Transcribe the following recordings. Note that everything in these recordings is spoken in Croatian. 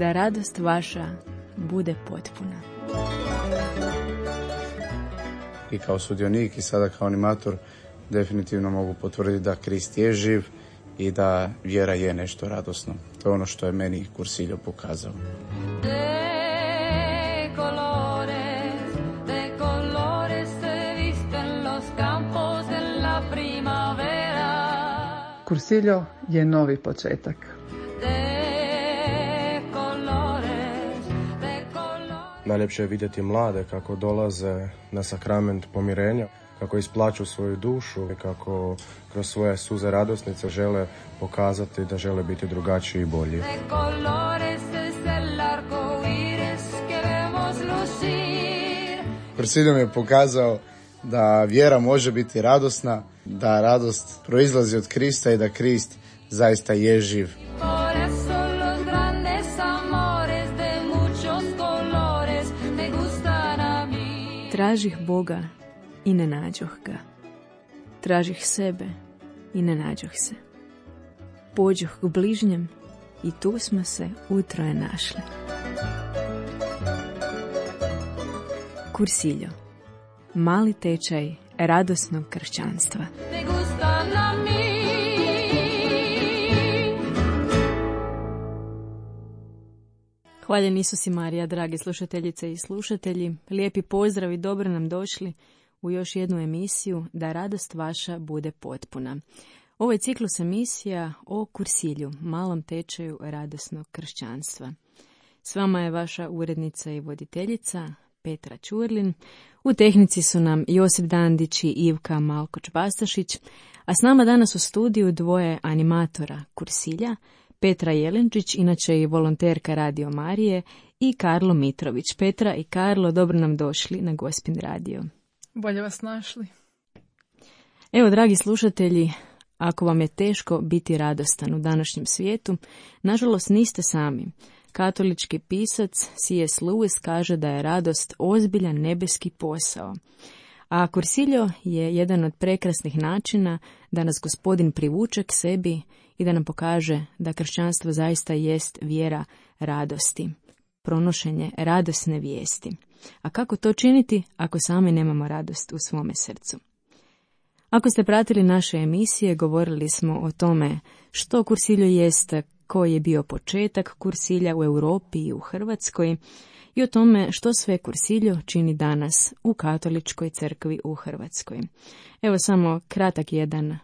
da radost vaša bude potpuna. I kao sudionik i sada kao animator definitivno mogu potvrditi da Krist je živ i da vjera je nešto radosno. To je ono što je meni Cursillo pokazao. Cursillo je novi početak. Najljepše je vidjeti mlade kako dolaze na sakrament pomirenja, kako isplaću svoju dušu i kako kroz svoje suze radosnice žele pokazati da žele biti drugačiji i bolji. Cursillo mi je pokazao da vjera može biti radosna, da radost proizlazi od Krista i da Krist zaista je živ. Tražih Boga i ne nađoh ga. Tražih sebe i ne nađoh se. Pođoh k bližnjem i tu smo se utroje našli. Cursillo. Mali tečaj radosnog kršćanstva. Hvaljen Isus i Marija, dragi slušateljice i slušatelji. Lijepi pozdrav i dobro nam došli u još jednu emisiju Da radost vaša bude potpuna. Ovo je ciklus emisija o Cursillu, malom tečaju radosnog kršćanstva. S vama je vaša urednica i voditeljica Petra Ćurlin. U tehnici su nam Josip Dandić i Ivka Malkoč-Bastašić, a s nama danas u studiju dvoje animatora Cursilja, Petra Jelenčić, inače i volonterka Radio Marije, i Karlo Mitrović. Petra i Karlo, dobro nam došli na Gospin radio. Bolje vas našli. Evo, dragi slušatelji, ako vam je teško biti radostan u današnjem svijetu, nažalost niste sami. Katolički pisac C.S. Lewis kaže da je radost ozbiljan nebeski posao. A Cursillo je jedan od prekrasnih načina da nas Gospodin privuče k sebi i da nam pokaže da kršćanstvo zaista jest vjera radosti, pronošenje radosne vijesti. A kako to činiti ako sami nemamo radost u svome srcu? Ako ste pratili naše emisije, govorili smo o tome što Cursillo jest, koji je bio početak Cursilja u Europi i u Hrvatskoj i o tome što sve Cursillo čini danas u katoličkoj crkvi u Hrvatskoj. Evo samo kratak jedan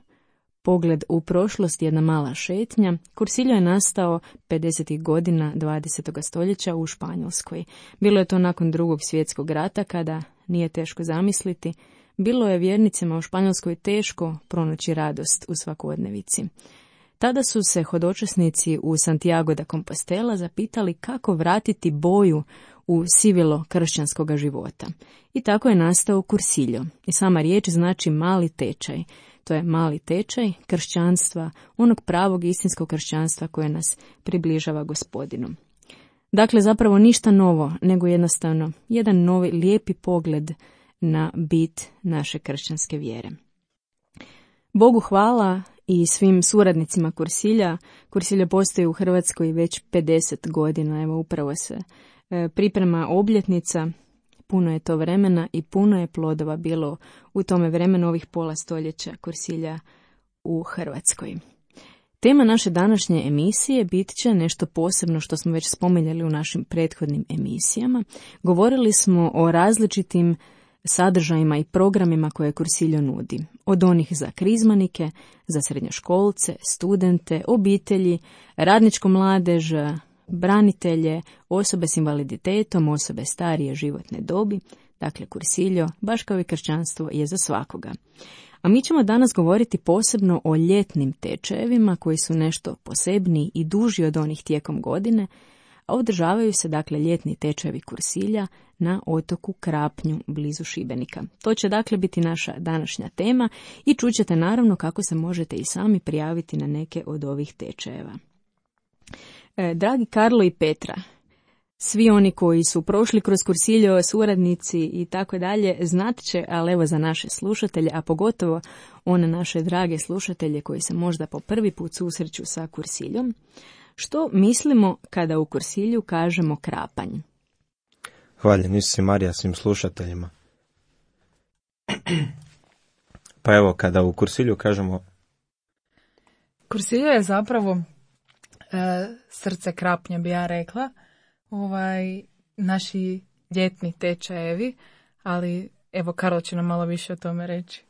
pogled u prošlost, jedna mala šetnja. Cursillo je nastao 50. godina 20. stoljeća u Španjolskoj. Bilo je to nakon Drugog svjetskog rata, kada, nije teško zamisliti, bilo je vjernicima u Španjolskoj teško pronaći radost u svakodnevici. Tada su se hodočasnici u Santiago de Compostela zapitali kako vratiti boju u sivilo kršćanskog života. I tako je nastao Cursillo. I sama riječ znači mali tečaj. To je mali tečaj kršćanstva, onog pravog istinskog kršćanstva koje nas približava Gospodinu. Dakle, zapravo ništa novo, nego jednostavno jedan novi lijepi pogled na bit naše kršćanske vjere. Bogu hvala i svim suradnicima Cursilja. Cursillo postoji u Hrvatskoj već 50 godina, evo upravo se priprema obljetnica, puno je to vremena i puno je plodova bilo u tome vremenu ovih pola stoljeća Cursilja u Hrvatskoj. Tema naše današnje emisije bit će nešto posebno što smo već spominjali u našim prethodnim emisijama. Govorili smo o različitim sadržajima i programima koje Cursillo nudi. Od onih za krizmanike, za srednjoškolce, studente, obitelji, radničku mladež, branitelje, osobe s invaliditetom, osobe starije životne dobi. Dakle, Cursillo, baš kao i kršćanstvo, je za svakoga. A mi ćemo danas govoriti posebno o ljetnim tečajevima koji su nešto posebniji i duži od onih tijekom godine, a održavaju se dakle ljetni tečajevi Cursilja na otoku Krapnju blizu Šibenika. To će dakle biti naša današnja tema i čućete naravno kako se možete i sami prijaviti na neke od ovih tečajeva. Dragi Karlo i Petra, svi oni koji su prošli kroz Cursillo, suradnici i tako dalje, znat će, ali evo za naše slušatelje, a pogotovo one naše drage slušatelje koji se možda po prvi put susreću sa Cursilljom, Što mislimo kada u Kursilju kažemo krapanj? Hvaljen Isus i Marija svim slušateljima. Pa evo, kada u Kursilju kažemo... Kursilju je zapravo srce krapnja, bi ja rekla. Naši ljetni tečajevi, ali evo Karlo će nam malo više o tome reći.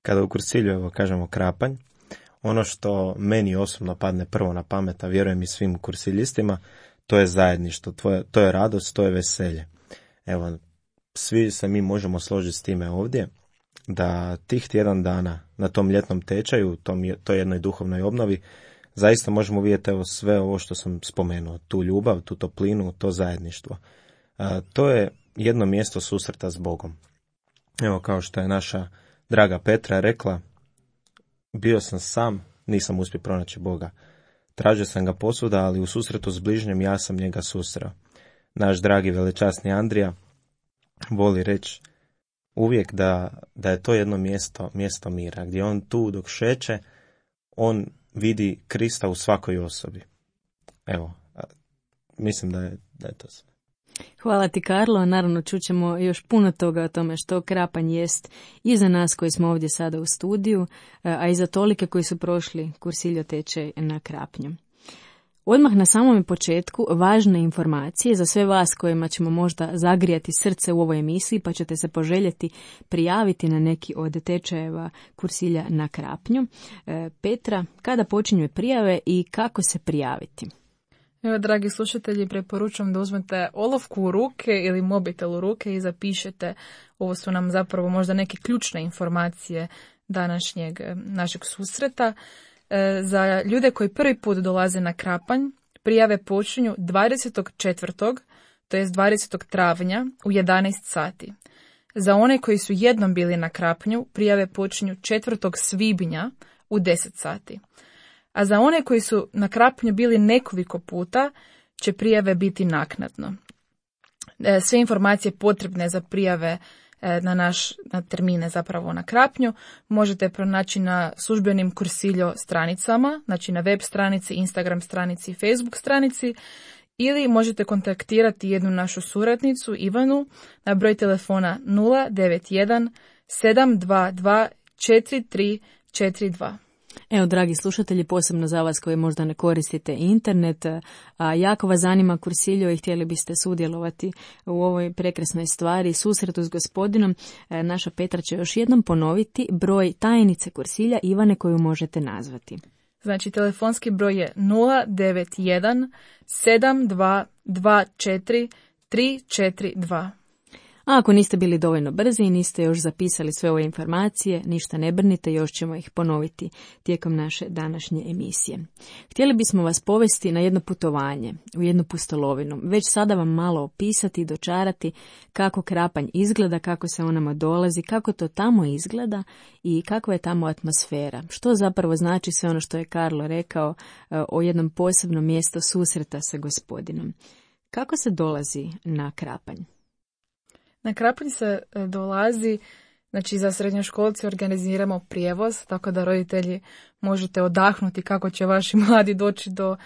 Kada u Kursilju evo kažemo krapanj, ono što meni osobno padne prvo na pamet, a vjerujem i svim kursiljistima, to je zajedništvo, to je radost, to je veselje. Evo, svi se mi možemo složiti s time ovdje, da tih tjedan dana na tom ljetnom tečaju, toj jednoj duhovnoj obnovi, zaista možemo vidjeti evo sve ovo što sam spomenuo, tu ljubav, tu toplinu, to zajedništvo. To je jedno mjesto susreta s Bogom. Evo, kao što je naša draga Petra rekla, bio sam sam, nisam uspio pronaći Boga. Tražio sam ga posvuda, ali u susretu s bližnjem ja sam njega susreo. Naš dragi velečasni Andrija voli reći uvijek da je to jedno mjesto mira, gdje on tu dok šeće, on vidi Krista u svakoj osobi. Evo, mislim da je to sve. Hvala ti, Karlo. Naravno, čućemo još puno toga o tome što krapanj jest i za nas koji smo ovdje sada u studiju, a i za tolike koji su prošli Kursiljo tečaj na krapnju. Odmah na samom početku važne informacije za sve vas kojima ćemo možda zagrijati srce u ovoj emisiji, pa ćete se poželjeti prijaviti na neki od tečajeva Kursilja na krapnju. Petra, kada počinju prijave i kako se prijaviti? Evo, dragi slušatelji, preporučujem da uzmete olovku u ruke ili mobitel u ruke i zapišete. Ovo su nam zapravo možda neke ključne informacije našeg susreta. Za ljude koji prvi put dolaze na krapanj, prijave počinju 24. to jest 20. travnja u 11 sati. Za one koji su jednom bili na krapnju, prijave počinju 4. svibnja u 10 sati. A za one koji su na krapnju bili nekoliko puta, će prijave biti naknadno. Sve informacije potrebne za prijave na termine zapravo na krapnju možete pronaći na službenim Kursiljo stranicama, znači na web stranici, Instagram stranici i Facebook stranici, ili možete kontaktirati jednu našu suradnicu Ivanu na broj telefona 091 722 4342. Evo, dragi slušatelji, posebno za vas koji možda ne koristite internet, a jako vas zanima Kursiljo i htjeli biste sudjelovati u ovoj prekrasnoj stvari, susretu s Gospodinom, naša Petra će još jednom ponoviti broj tajnice Kursilja Ivane koju možete nazvati. Znači, telefonski broj je 091 7224 342. A ako niste bili dovoljno brzi i niste još zapisali sve ove informacije, ništa ne brinite, još ćemo ih ponoviti tijekom naše današnje emisije. Htjeli bismo vas povesti na jedno putovanje, u jednu pustolovinu. Već sada vam malo opisati i dočarati kako krapanj izgleda, kako se onama dolazi, kako to tamo izgleda i kakva je tamo atmosfera. Što zapravo znači sve ono što je Karlo rekao o jednom posebnom mjestu susreta sa Gospodinom. Kako se dolazi na krapanj? Na krapanj se dolazi, znači za srednjoškolce organiziramo prijevoz, tako da roditelji možete odahnuti kako će vaši mladi doći do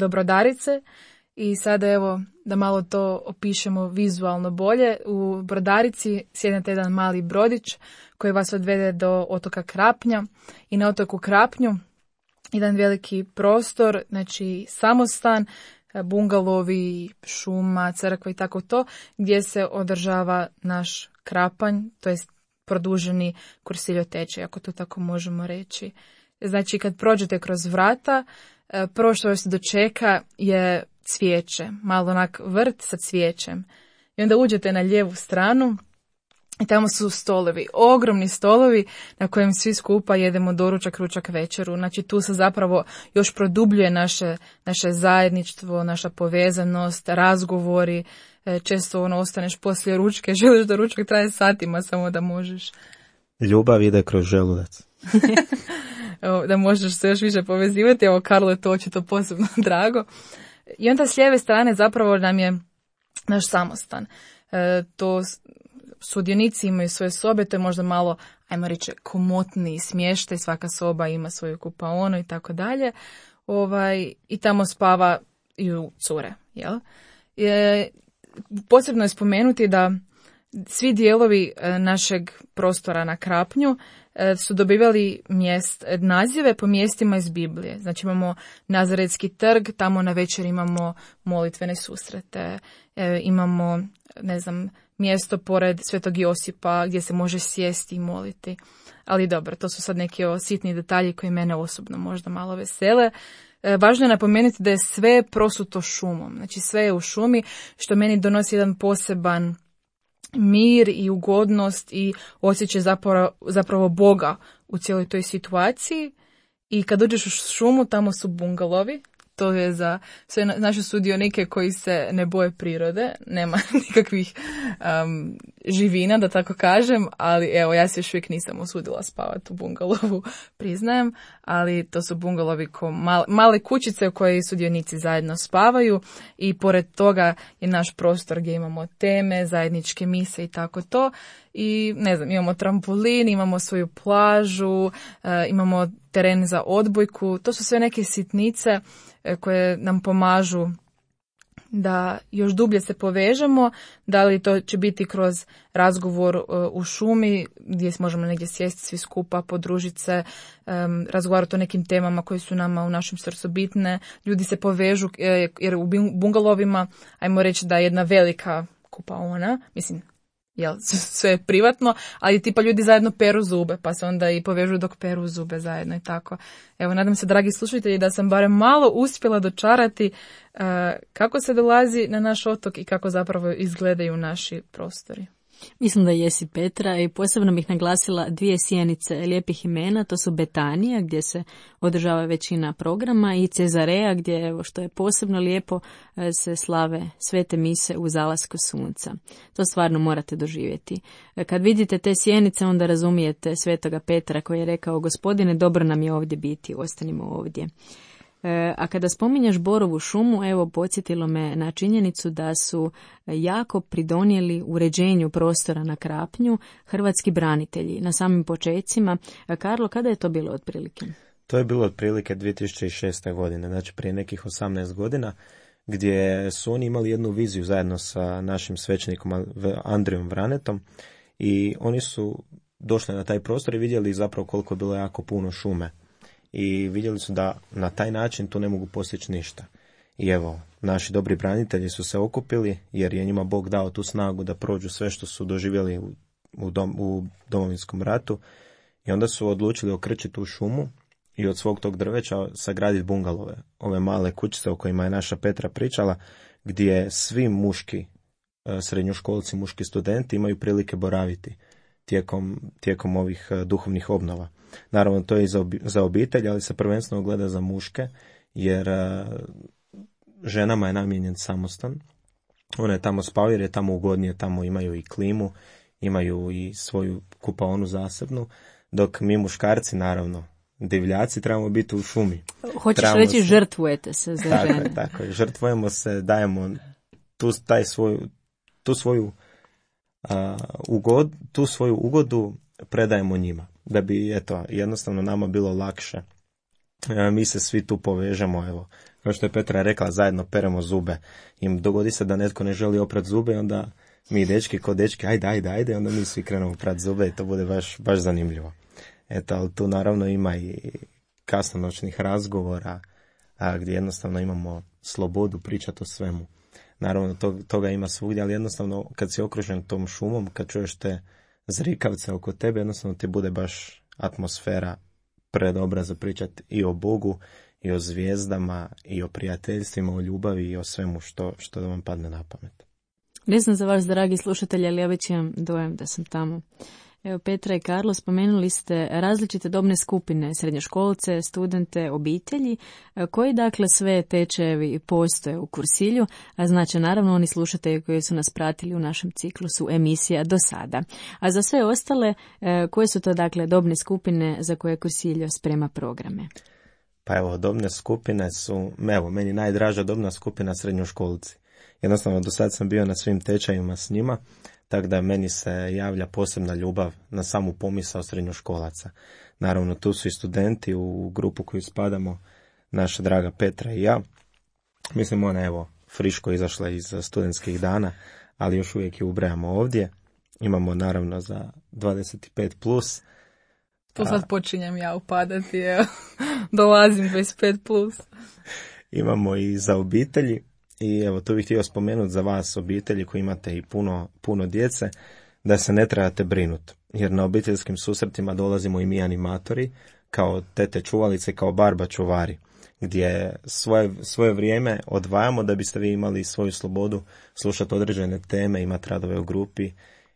Brodarice. I sada evo da malo to opišemo vizualno bolje. U Brodarici sjednete jedan mali brodić koji vas odvede do otoka Krapnja i na otoku Krapnju jedan veliki prostor, znači samostan, bungalovi, šuma, crkva i tako to, gdje se održava naš krapanj, to jest produženi Kursiljo tečaj, ako to tako možemo reći. Znači, kad prođete kroz vrata, prvo što vas dočeka je cvijeće, malo onak vrt sa cvijećem. I onda uđete na lijevu stranu i tamo su stolovi, ogromni stolovi na kojim svi skupa jedemo doručak, ručak, večeru. Znači tu se zapravo još produbljuje naše zajedništvo, naša povezanost, razgovori. Često ostaneš poslije ručke, želiš da ručak traje satima samo da možeš. Ljubav ide kroz želudac. Da možeš se još više povezivati. Evo, Karlo je to očito posebno drago. I onda s lijeve strane zapravo nam je naš samostan. To sudionici imaju svoje sobe, to je možda malo, ajmo reći, komotniji smještaj, svaka soba ima svoju kupaonu i tako dalje. i tamo spavaju cure. Jel? Posebno je spomenuti da svi dijelovi našeg prostora na Krapnju su dobivali nazive po mjestima iz Biblije. Znači imamo Nazaretski trg, tamo na večer imamo molitvene susrete, imamo, mjesto pored Svetog Josipa gdje se može sjesti i moliti. Ali dobro, to su sad neki sitni detalji koji mene osobno možda malo vesele. Važno je napomenuti da je sve prosuto šumom. Znači sve je u šumi, što meni donosi jedan poseban mir i ugodnost i osjećaj zapravo Boga u cijeloj toj situaciji. I kad uđeš u šumu, tamo su bungalovi. To je za sve naše sudionike koji se ne boje prirode. Nema nikakvih živina, da tako kažem, ali evo, ja se još uvijek nisam usudila spavati u bungalovu, priznajem, ali to su bungalovi ko male kućice u kojoj sudionici zajedno spavaju i pored toga je naš prostor gdje imamo teme, zajedničke mise i tako to. I imamo trampolin, imamo svoju plažu, imamo teren za odbojku. To su sve neke sitnice koje nam pomažu da još dublje se povežemo, da li to će biti kroz razgovor u šumi gdje možemo negdje sjesti svi skupa, podružiti se, razgovarati o nekim temama koje su nama u našem srcu bitne. Ljudi se povežu jer u bungalovima, ajmo reći da je jedna velika kupaona, sve je privatno, ali tipa ljudi zajedno peru zube, pa se onda i povežu dok peru zube zajedno i tako. Evo, nadam se, dragi slušatelji, da sam barem malo uspjela dočarati kako se dolazi na naš otok i kako zapravo izgledaju naši prostori. Mislim da jesi, Petra, i posebno bih naglasila 2 sjenice lijepih imena, to su Betanija gdje se održava većina programa i Cezarea gdje, evo, što je posebno lijepo, se slave svete mise u zalasku sunca. To stvarno morate doživjeti. Kad vidite te sjenice, onda razumijete svetoga Petra koji je rekao: Gospodine, dobro nam je ovdje biti, ostanimo ovdje. A kada spominješ Borovu šumu, evo, podsjetilo me na činjenicu da su jako pridonijeli uređenju prostora na Krapnju hrvatski branitelji na samim počecima. Karlo, kada je to bilo otprilike? To je bilo otprilike 2006. godine, znači prije nekih 18 godina, gdje su oni imali jednu viziju zajedno sa našim svećenikom Andrijom Vranetom i oni su došli na taj prostor i vidjeli zapravo koliko je bilo jako puno šume. I vidjeli su da na taj način tu ne mogu postići ništa. I evo, naši dobri branitelji su se okupili jer je njima Bog dao tu snagu da prođu sve što su doživjeli u Domovinskom ratu i onda su odlučili okrčiti tu šumu i od svog tog drveća sagraditi bungalove, ove male kućice o kojima je naša Petra pričala, gdje svi muški srednjoškolci, muški studenti imaju prilike boraviti tijekom ovih duhovnih obnova. Naravno, to je i za obitelj, ali se prvenstveno gleda za muške, jer ženama je namijenjen samostan. One tamo spavaju jer je tamo ugodnije, tamo imaju i klimu, imaju i svoju kupaonu zasebnu, dok mi muškarci, naravno, divljaci, trebamo biti u šumi. Hoćeš reći žrtvujete se za žene. Tako je, žrtvujemo se, dajemo tu svoju ugodu predajemo njima, da bi, eto, jednostavno nama bilo lakše. Mi se svi tu povežemo, evo, kao što je Petra rekla, zajedno peremo zube. Im dogodi se da netko ne želi oprat zube, onda mi dečki ko dečki, ajde, onda mi svi krenemo prat zube i to bude baš zanimljivo. Eto, ali tu naravno ima i kasnonoćnih razgovora, gdje jednostavno imamo slobodu pričati o svemu. Naravno, toga ima svugdje, ali jednostavno kad si okružen tom šumom, kad čuješ te zrikavce oko tebe, jednostavno ti bude baš atmosfera predobra za pričati i o Bogu, i o zvijezdama, i o prijateljstvima, o ljubavi i o svemu što da vam padne na pamet. Ne znam za vas, dragi slušatelji, ali ja već imam dojam da sam tamo. Evo, Petra i Karlo, spomenuli ste različite dobne skupine, srednjoškolce, studente, obitelji, koji dakle sve tečajevi postoje u Kursilju, a znači naravno oni slušatelji koji su nas pratili u našem ciklusu emisija do sada. A za sve ostale, koje su to dakle dobne skupine za koje Kursiljo sprema programe? Pa evo, dobne skupine su, meni najdraža dobna skupina srednjoškolci. Jednostavno, do sad sam bio na svim tečajima s njima, tako da meni se javlja posebna ljubav na samu pomisao srednjoškolaca. Naravno, tu su i studenti u grupu koju spadamo, naša draga Petra i ja. Mislim, ona evo friško izašla iz studentskih dana, ali još uvijek je ubrajamo ovdje. Imamo naravno za 25+. Tu sad počinjem ja upadati, evo. Dolazim 25+. Imamo i za obitelji. I evo, tu bih htio spomenuti za vas obitelji koji imate i puno djece, da se ne trebate brinuti. Jer na obiteljskim susretima dolazimo i mi animatori, kao tete čuvalice, kao barba čuvari, gdje svoje vrijeme odvajamo da biste vi imali svoju slobodu slušati određene teme, imati radove u grupi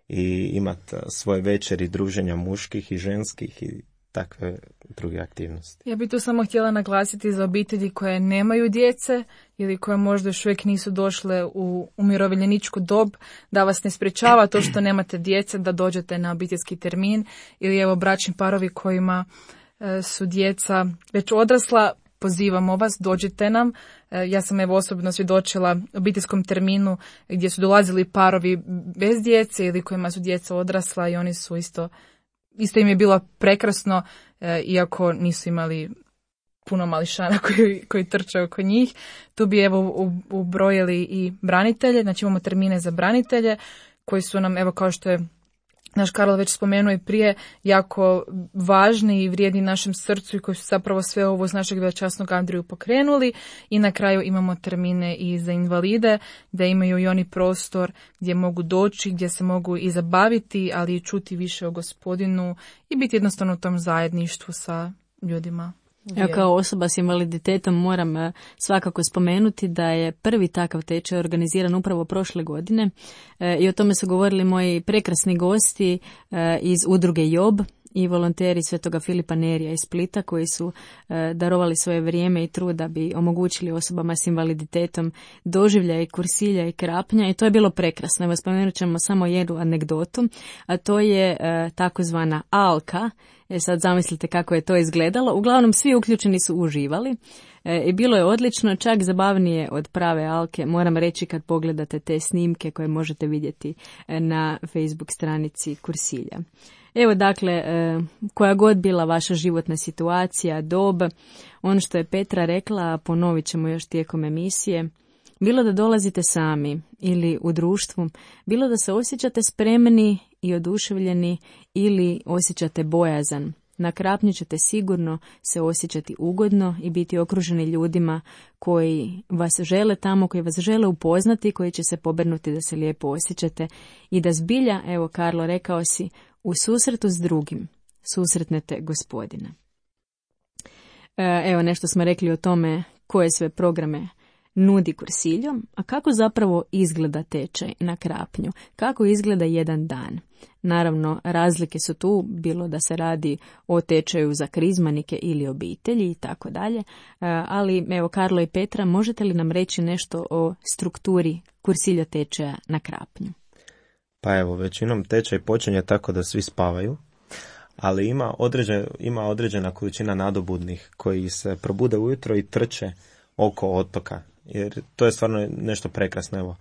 i imati svoje večeri druženja muških i ženskih i takve druge aktivnosti. Ja bih tu samo htjela naglasiti za obitelji koje nemaju djece ili koje možda još uvijek nisu došle u umirovljeničku dob, da vas ne sprečava to što nemate djece da dođete na obiteljski termin, ili evo bračni parovi kojima su djeca već odrasla, pozivamo vas, dođite nam. Ja sam evo osobno svjedočila obiteljskom terminu gdje su dolazili parovi bez djece ili kojima su djeca odrasla i oni su isto im je bilo prekrasno, iako nisu imali puno mališana koji trče oko njih. Tu bi evo ubrojili i branitelje, znači imamo termine za branitelje koji su nam, evo kao što je naš Karlo već spomenuo i prije, jako važni i vrijedni našem srcu i koji su zapravo sve ovo uz našeg veličasnog Andriju pokrenuli. I na kraju imamo termine i za invalide, da imaju i oni prostor gdje mogu doći, gdje se mogu i zabaviti, ali i čuti više o Gospodinu i biti jednostavno u tom zajedništvu sa ljudima. Ja kao osoba s invaliditetom moram svakako spomenuti da je prvi takav tečaj organiziran upravo prošle godine i o tome su govorili moji prekrasni gosti iz udruge Job i volonteri Svetoga Filipa Nerija iz Splita koji su darovali svoje vrijeme i trud da bi omogućili osobama s invaliditetom doživljaj kursilja i krapnja i to je bilo prekrasno. Evo spomenut ćemo samo jednu anegdotu, a to je takozvana alka. Sad zamislite kako je to izgledalo. Uglavnom svi uključeni su uživali i bilo je odlično, čak zabavnije od prave alke. Moram reći kad pogledate te snimke koje možete vidjeti na Facebook stranici Kursilja. Evo dakle, koja god bila vaša životna situacija, dob, ono što je Petra rekla, ponovit ćemo još tijekom emisije, bilo da dolazite sami ili u društvu, bilo da se osjećate spremni i oduševljeni ili osjećate bojazan. Na krapnju ćete sigurno se osjećati ugodno i biti okruženi ljudima koji vas žele tamo, koji vas žele upoznati, koji će se pobrinuti da se lijepo osjećate i da zbilja, evo Karlo rekao si, u susretu s drugim susretnete Gospodina. Evo nešto smo rekli o tome koje sve programe nudi Kursiljo, a kako zapravo izgleda tečaj na krapnju, kako izgleda jedan dan. Naravno, razlike su tu, bilo da se radi o tečaju za krizmanike ili obitelji i tako dalje, ali evo Karlo i Petra, možete li nam reći nešto o strukturi Kursilja tečaja na krapnju? Pa evo, većinom tečaj počinje tako da svi spavaju, ali ima određena količina nadobudnih koji se probude ujutro i trče oko otoka, jer to je stvarno nešto prekrasno. Evo,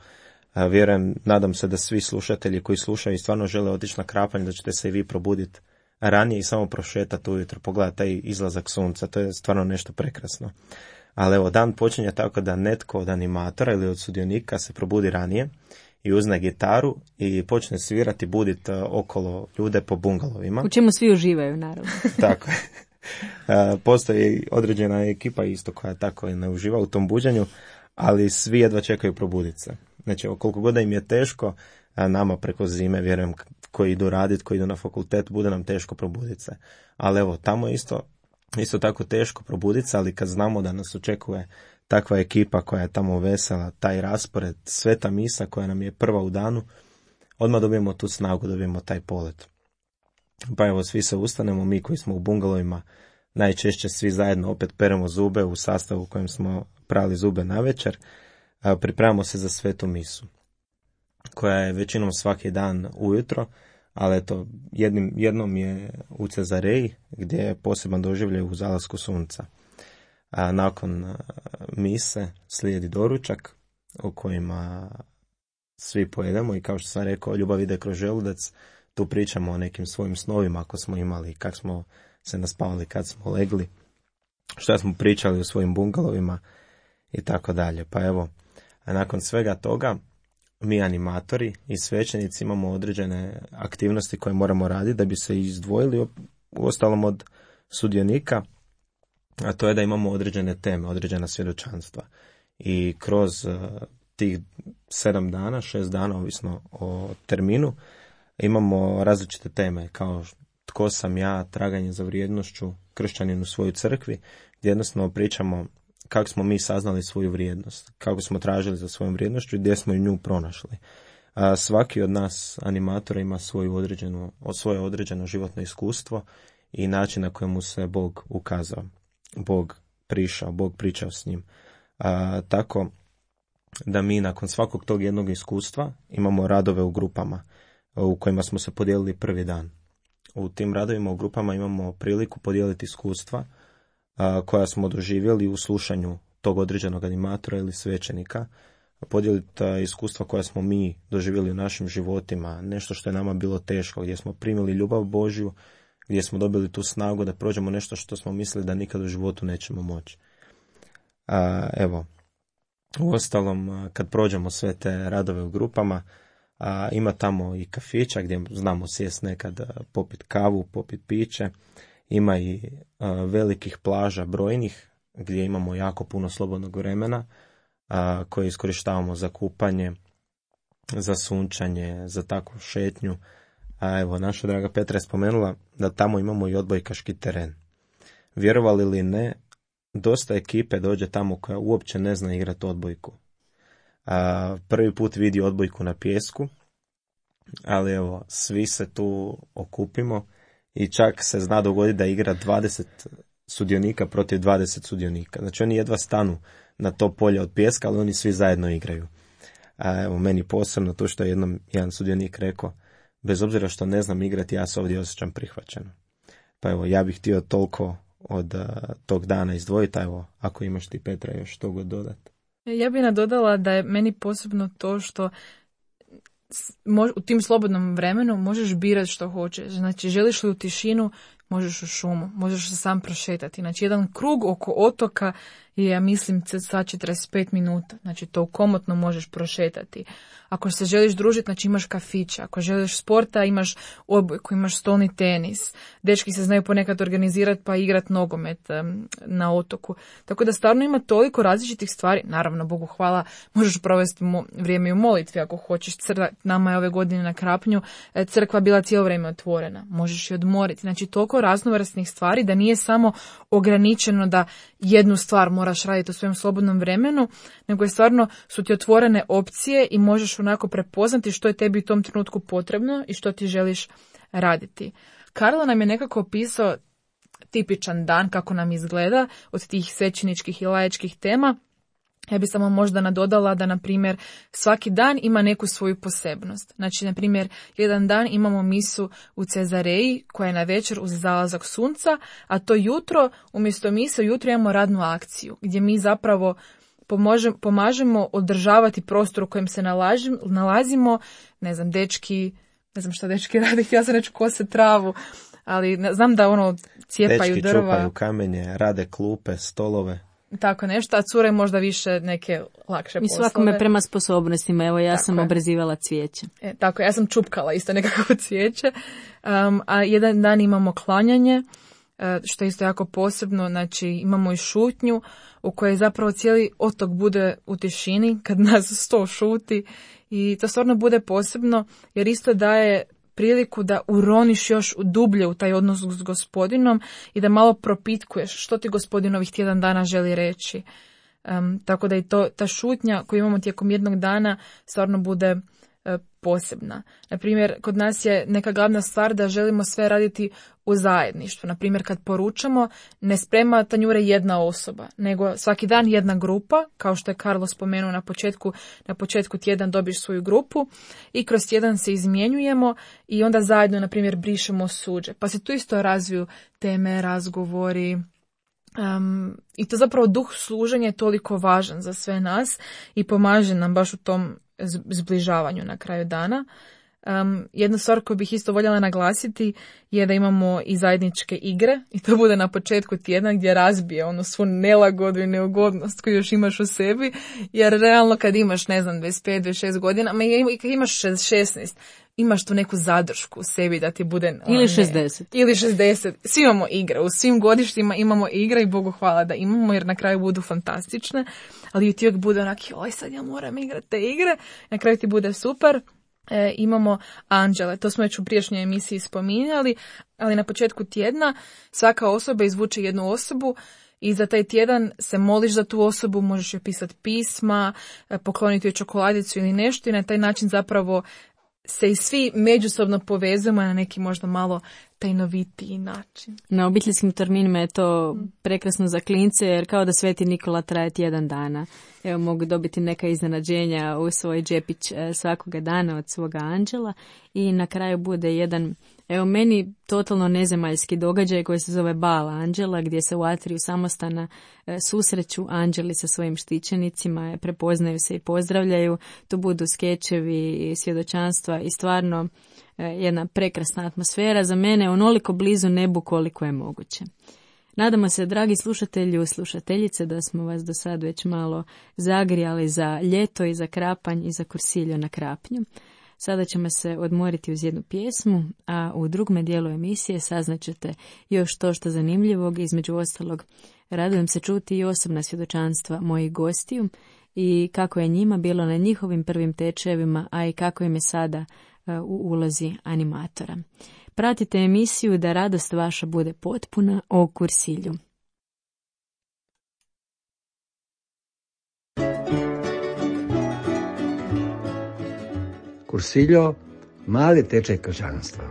vjerujem, nadam se da svi slušatelji koji slušaju i stvarno žele otići na krapanj, da ćete se i vi probuditi ranije i samo prošetati ujutro, pogledati taj izlazak sunca, to je stvarno nešto prekrasno. Ali evo, dan počinje tako da netko od animatora ili od sudionika se probudi ranije i uzne gitaru i počne svirati, buditi okolo ljude po bungalovima. U čemu svi uživaju, naravno. Tako je. Postoji određena ekipa isto koja tako ne uživa u tom buđenju, ali svi jedva čekaju probuditi se. Znači, koliko god da im je teško, nama preko zime, vjerujem, koji idu raditi, koji idu na fakultet, bude nam teško probuditi se. Ali evo, tamo je isto tako teško probuditi se, ali kad znamo da nas očekuje takva ekipa koja je tamo vesela, taj raspored, sveta misa koja nam je prva u danu, odmah dobijemo tu snagu, dobijemo taj polet. Pa evo, svi se ustanemo, mi koji smo u bungalovima, najčešće svi zajedno opet peremo zube u sastavu u kojem smo prali zube navečer, pripremamo se za svetu misu, koja je većinom svaki dan ujutro, ali eto, jednom je u Cezareji, gdje je poseban doživljaj u zalasku sunca. Nakon mise slijedi doručak u kojima svi pojedemo i kao što sam rekao, ljubav ide kroz želudac. Tu pričamo o nekim svojim snovima ako smo imali, kako smo se naspavali kad smo legli. šta smo pričali u svojim bungalovima i tako dalje. Pa evo, a nakon svega toga mi animatori i svećenici imamo određene aktivnosti koje moramo raditi da bi se izdvojili uostalom od sudionika, a to je da imamo određene teme, određena svjedočanstva. I kroz tih 7 dana, 6 dana, ovisno o terminu, imamo različite teme, kao tko sam ja, traganje za vrijednošću, kršćanin u svojoj crkvi, gdje jednostavno pričamo kako smo mi saznali svoju vrijednost, kako smo tražili za svojom vrijednošću i gdje smo nju pronašli. Svaki od nas animatora ima svoje određeno životno iskustvo i način na kojemu se Bog ukazao, Bog prišao, Bog pričao s njim. Tako da mi nakon svakog tog jednog iskustva imamo radove u grupama u kojima smo se podijelili prvi dan. U tim radovima u grupama imamo priliku podijeliti iskustva koja smo doživjeli u slušanju tog određenog animatora ili svećenika, podijeliti iskustva koja smo mi doživjeli u našim životima, nešto što je nama bilo teško, gdje smo primili ljubav Božju, gdje smo dobili tu snagu da prođemo nešto što smo mislili da nikad u životu nećemo moći. Evo, uostalom, kad prođemo sve te radove u grupama, ima tamo i kafića gdje znamo sjest nekad, popit kavu, popit piće. Ima i velikih plaža brojnih gdje imamo jako puno slobodnog vremena koje iskorištavamo za kupanje, za sunčanje, za takvu šetnju. Evo, naša draga Petra je spomenula da tamo imamo i odbojkaški teren. Vjerovali ili ne, dosta ekipe dođe tamo koja uopće ne zna igrati odbojku. Prvi put vidi odbojku na pijesku, ali evo, svi se tu okupimo i čak se zna dogoditi da igra 20 sudionika protiv 20 sudionika. Znači oni jedva stanu na to polje od pijeska, ali oni svi zajedno igraju. Evo, meni posebno to što je jedan sudionik rekao, bez obzira što ne znam igrati, ja se ovdje osjećam prihvaćeno. Pa evo, ja bih htio toliko od tog dana izdvojiti, evo, ako imaš ti, Petra, još to god dodati. Ja bih nadodala da je meni posebno to što u tim slobodnom vremenu možeš birati što hoćeš. Znači, želiš li u tišinu, možeš u šumu, možeš se sam prošetati. Znači, jedan krug oko otoka je, ja mislim, sad 45 minuta. Znači, to komotno možeš prošetati. Ako se želiš družiti, znači imaš kafića. Ako želiš sporta, imaš odbojku, imaš stolni tenis. Dečki se znaju ponekad organizirati pa igrati nogomet na otoku. Tako da stvarno ima toliko različitih stvari. Naravno, Bogu hvala, možeš provesti vrijeme u molitvi ako hoćeš. Nama je ove godine na Krapnju crkva bila cijelo vrijeme otvorena. Možeš i odmoriti. Znači, toliko raznovrsnih stvari da nije samo ograničeno da jednu stvar moraš raditi u svojem slobodnom vremenu, nego je stvarno su ti otvorene opcije i možeš onako prepoznati što je tebi u tom trenutku potrebno i što ti želiš raditi. Karlo nam je nekako opisao tipičan dan kako nam izgleda od tih svećeničkih i laičkih tema. Ja bih samo možda nadodala da, na primjer, svaki dan ima neku svoju posebnost. Znači, na primjer, jedan dan imamo misu u Cezareji koja je na večer uz zalazak sunca, a to jutro, umjesto mise, jutro imamo radnu akciju gdje mi zapravo pomažemo održavati prostor u kojem se nalazimo. Ne znam, dečki rade, ja sam reći kose travu, ali znam da cijepaju dečki drva. Čupaju kamenje, rade klupe, stolove. Tako nešto, a cure možda više neke lakše poslove. I svakome prema sposobnostima, evo ja tako sam je. Obrezivala cvijeće. Tako, ja sam čupkala isto nekako cvijeće. A jedan dan imamo klanjanje, što je isto jako posebno, znači imamo i šutnju u kojoj zapravo cijeli otok bude u tišini kad nas 100 šuti i to stvarno bude posebno jer isto daje priliku da uroniš još dublje u taj odnos s Gospodinom i da malo propitkuješ što ti Gospodin ovih tjedan dana želi reći. Tako da i ta šutnja koju imamo tijekom jednog dana stvarno bude posebna. Naprimjer, kod nas je neka glavna stvar da želimo sve raditi u zajedništvu. Naprimjer, kad poručamo, ne sprema tanjure jedna osoba, nego svaki dan jedna grupa, kao što je Karlo spomenuo na početku tjedan dobiš svoju grupu i kroz tjedan se izmjenjujemo i onda zajedno, na primjer, brišemo suđe. Pa se tu isto razviju teme, razgovori. I to zapravo duh služenja je toliko važan za sve nas i pomaže nam baš u tom zbližavanju na kraju dana. Jednu stvar koju bih isto voljela naglasiti je da imamo i zajedničke igre i to bude na početku tjedna gdje razbije ono svu nelagodu i neugodnost koju još imaš u sebi, jer realno kad imaš, ne znam, 25-26 godina, i kad imaš 16, imaš tu neku zadršku u sebi da ti bude... Ili 60. Ili 60. Svi imamo igre. U svim godištima imamo igre i Bogu hvala da imamo jer na kraju budu fantastične. Ali ti uvijek bude onak, oj sad ja moram igrati te igre. Na kraju ti bude super. Imamo anđele. To smo već u prijašnjoj emisiji spominjali. Ali na početku tjedna svaka osoba izvuče jednu osobu i za taj tjedan se moliš za tu osobu, možeš joj pisati pisma, pokloniti joj čokoladicu ili nešto i na taj način zapravo se i svi međusobno povezujemo na neki možda malo tajnovitiji način. Na obiteljskim terminima je to prekrasno za klince jer kao da Sveti Nikola traje tjedan dana. Evo, mogu dobiti neka iznenađenja u svoj džepić svakoga dana od svoga anđela i na kraju bude jedan, evo meni totalno nezemaljski događaj koji se zove Bal anđela gdje se u atriju samostana susreću anđeli sa svojim štićenicima, prepoznaju se i pozdravljaju. Tu budu skečevi i svjedočanstva i stvarno jedna prekrasna atmosfera, za mene onoliko blizu nebu koliko je moguće. Nadamo se, dragi slušatelji i slušateljice, da smo vas do sad već malo zagrijali za ljeto i za Krapanj i za Kursiljo na Krapnju. Sada ćemo se odmoriti uz jednu pjesmu, a u drugom dijelu emisije saznaćete još to što zanimljivog, između ostalog radujem se čuti i osobna svjedočanstva mojih gostiju i kako je njima bilo na njihovim prvim tečajevima, a i kako im je sada u ulozi animatora. Pratite emisiju Da radost vaša bude potpuna o Kursilju. Kursiljo, mali tečaj kršćanstva.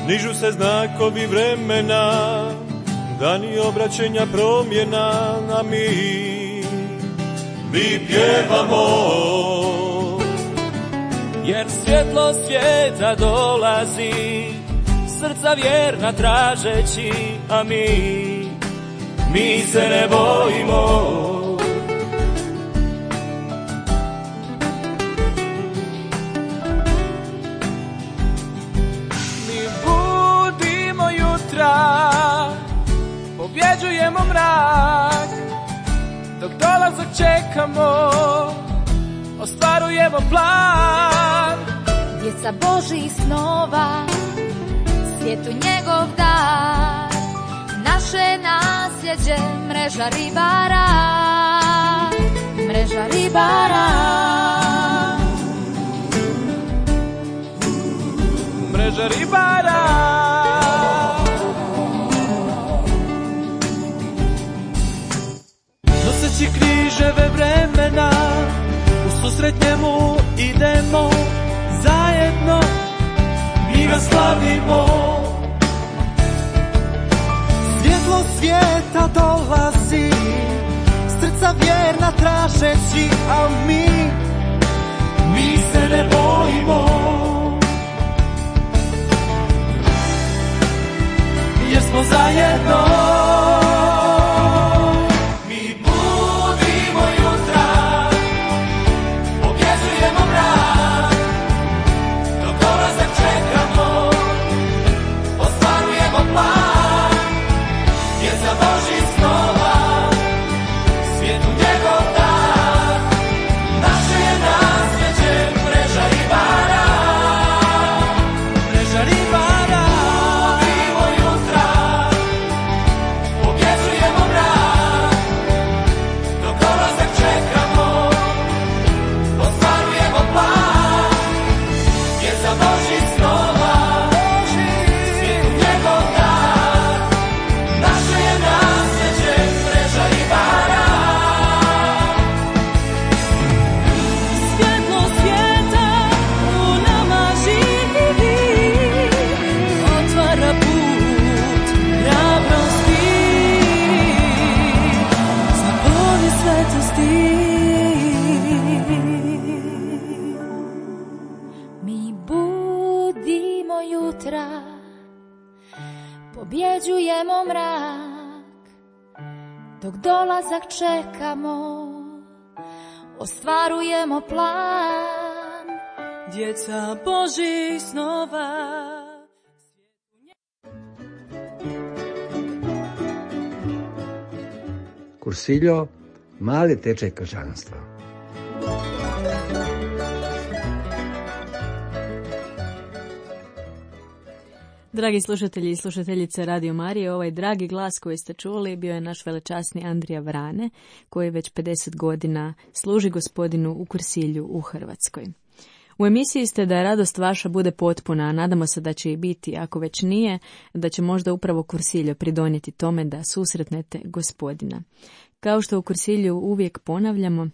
Nižu se znakovi vremena, dani obraćenja promjena, a mi pjevamo. Jer svjetlo svijeta dolazi, srca vjerna tražeći, a mi se ne bojimo. Pobjeđujemo mrak, dok dolazak čekamo, ostvarujemo plan. Djeca Božih snova, svijetu njegov dar, naše nasljeđe, mreža ribara, mreža ribara. Mreža ribara. Noseći križeve vremena, u susret njemu idemo, zajedno mi ga slavimo. Svjetlo svijeta dolazi, srca vjerna tražeći, a mi se ne bojimo. Jer smo zajedno. vjera, pobjeđujemo mrak, dok dolazak čekamo, ostvarujemo plan. Djeca Božih snova. Kursiljo, mali tečaj kršćanstva. Dragi slušatelji i slušateljice Radio Marije, ovaj dragi glas koji ste čuli bio je naš velečasni Andrija Vrane, koji već 50 godina služi Gospodinu u Kursilju u Hrvatskoj. U emisiji ste da radost vaša bude potpuna, a nadamo se da će i biti, ako već nije, da će možda upravo Kursiljo pridonijeti tome da susretnete Gospodina. Kao što u Kursilju uvijek ponavljamo,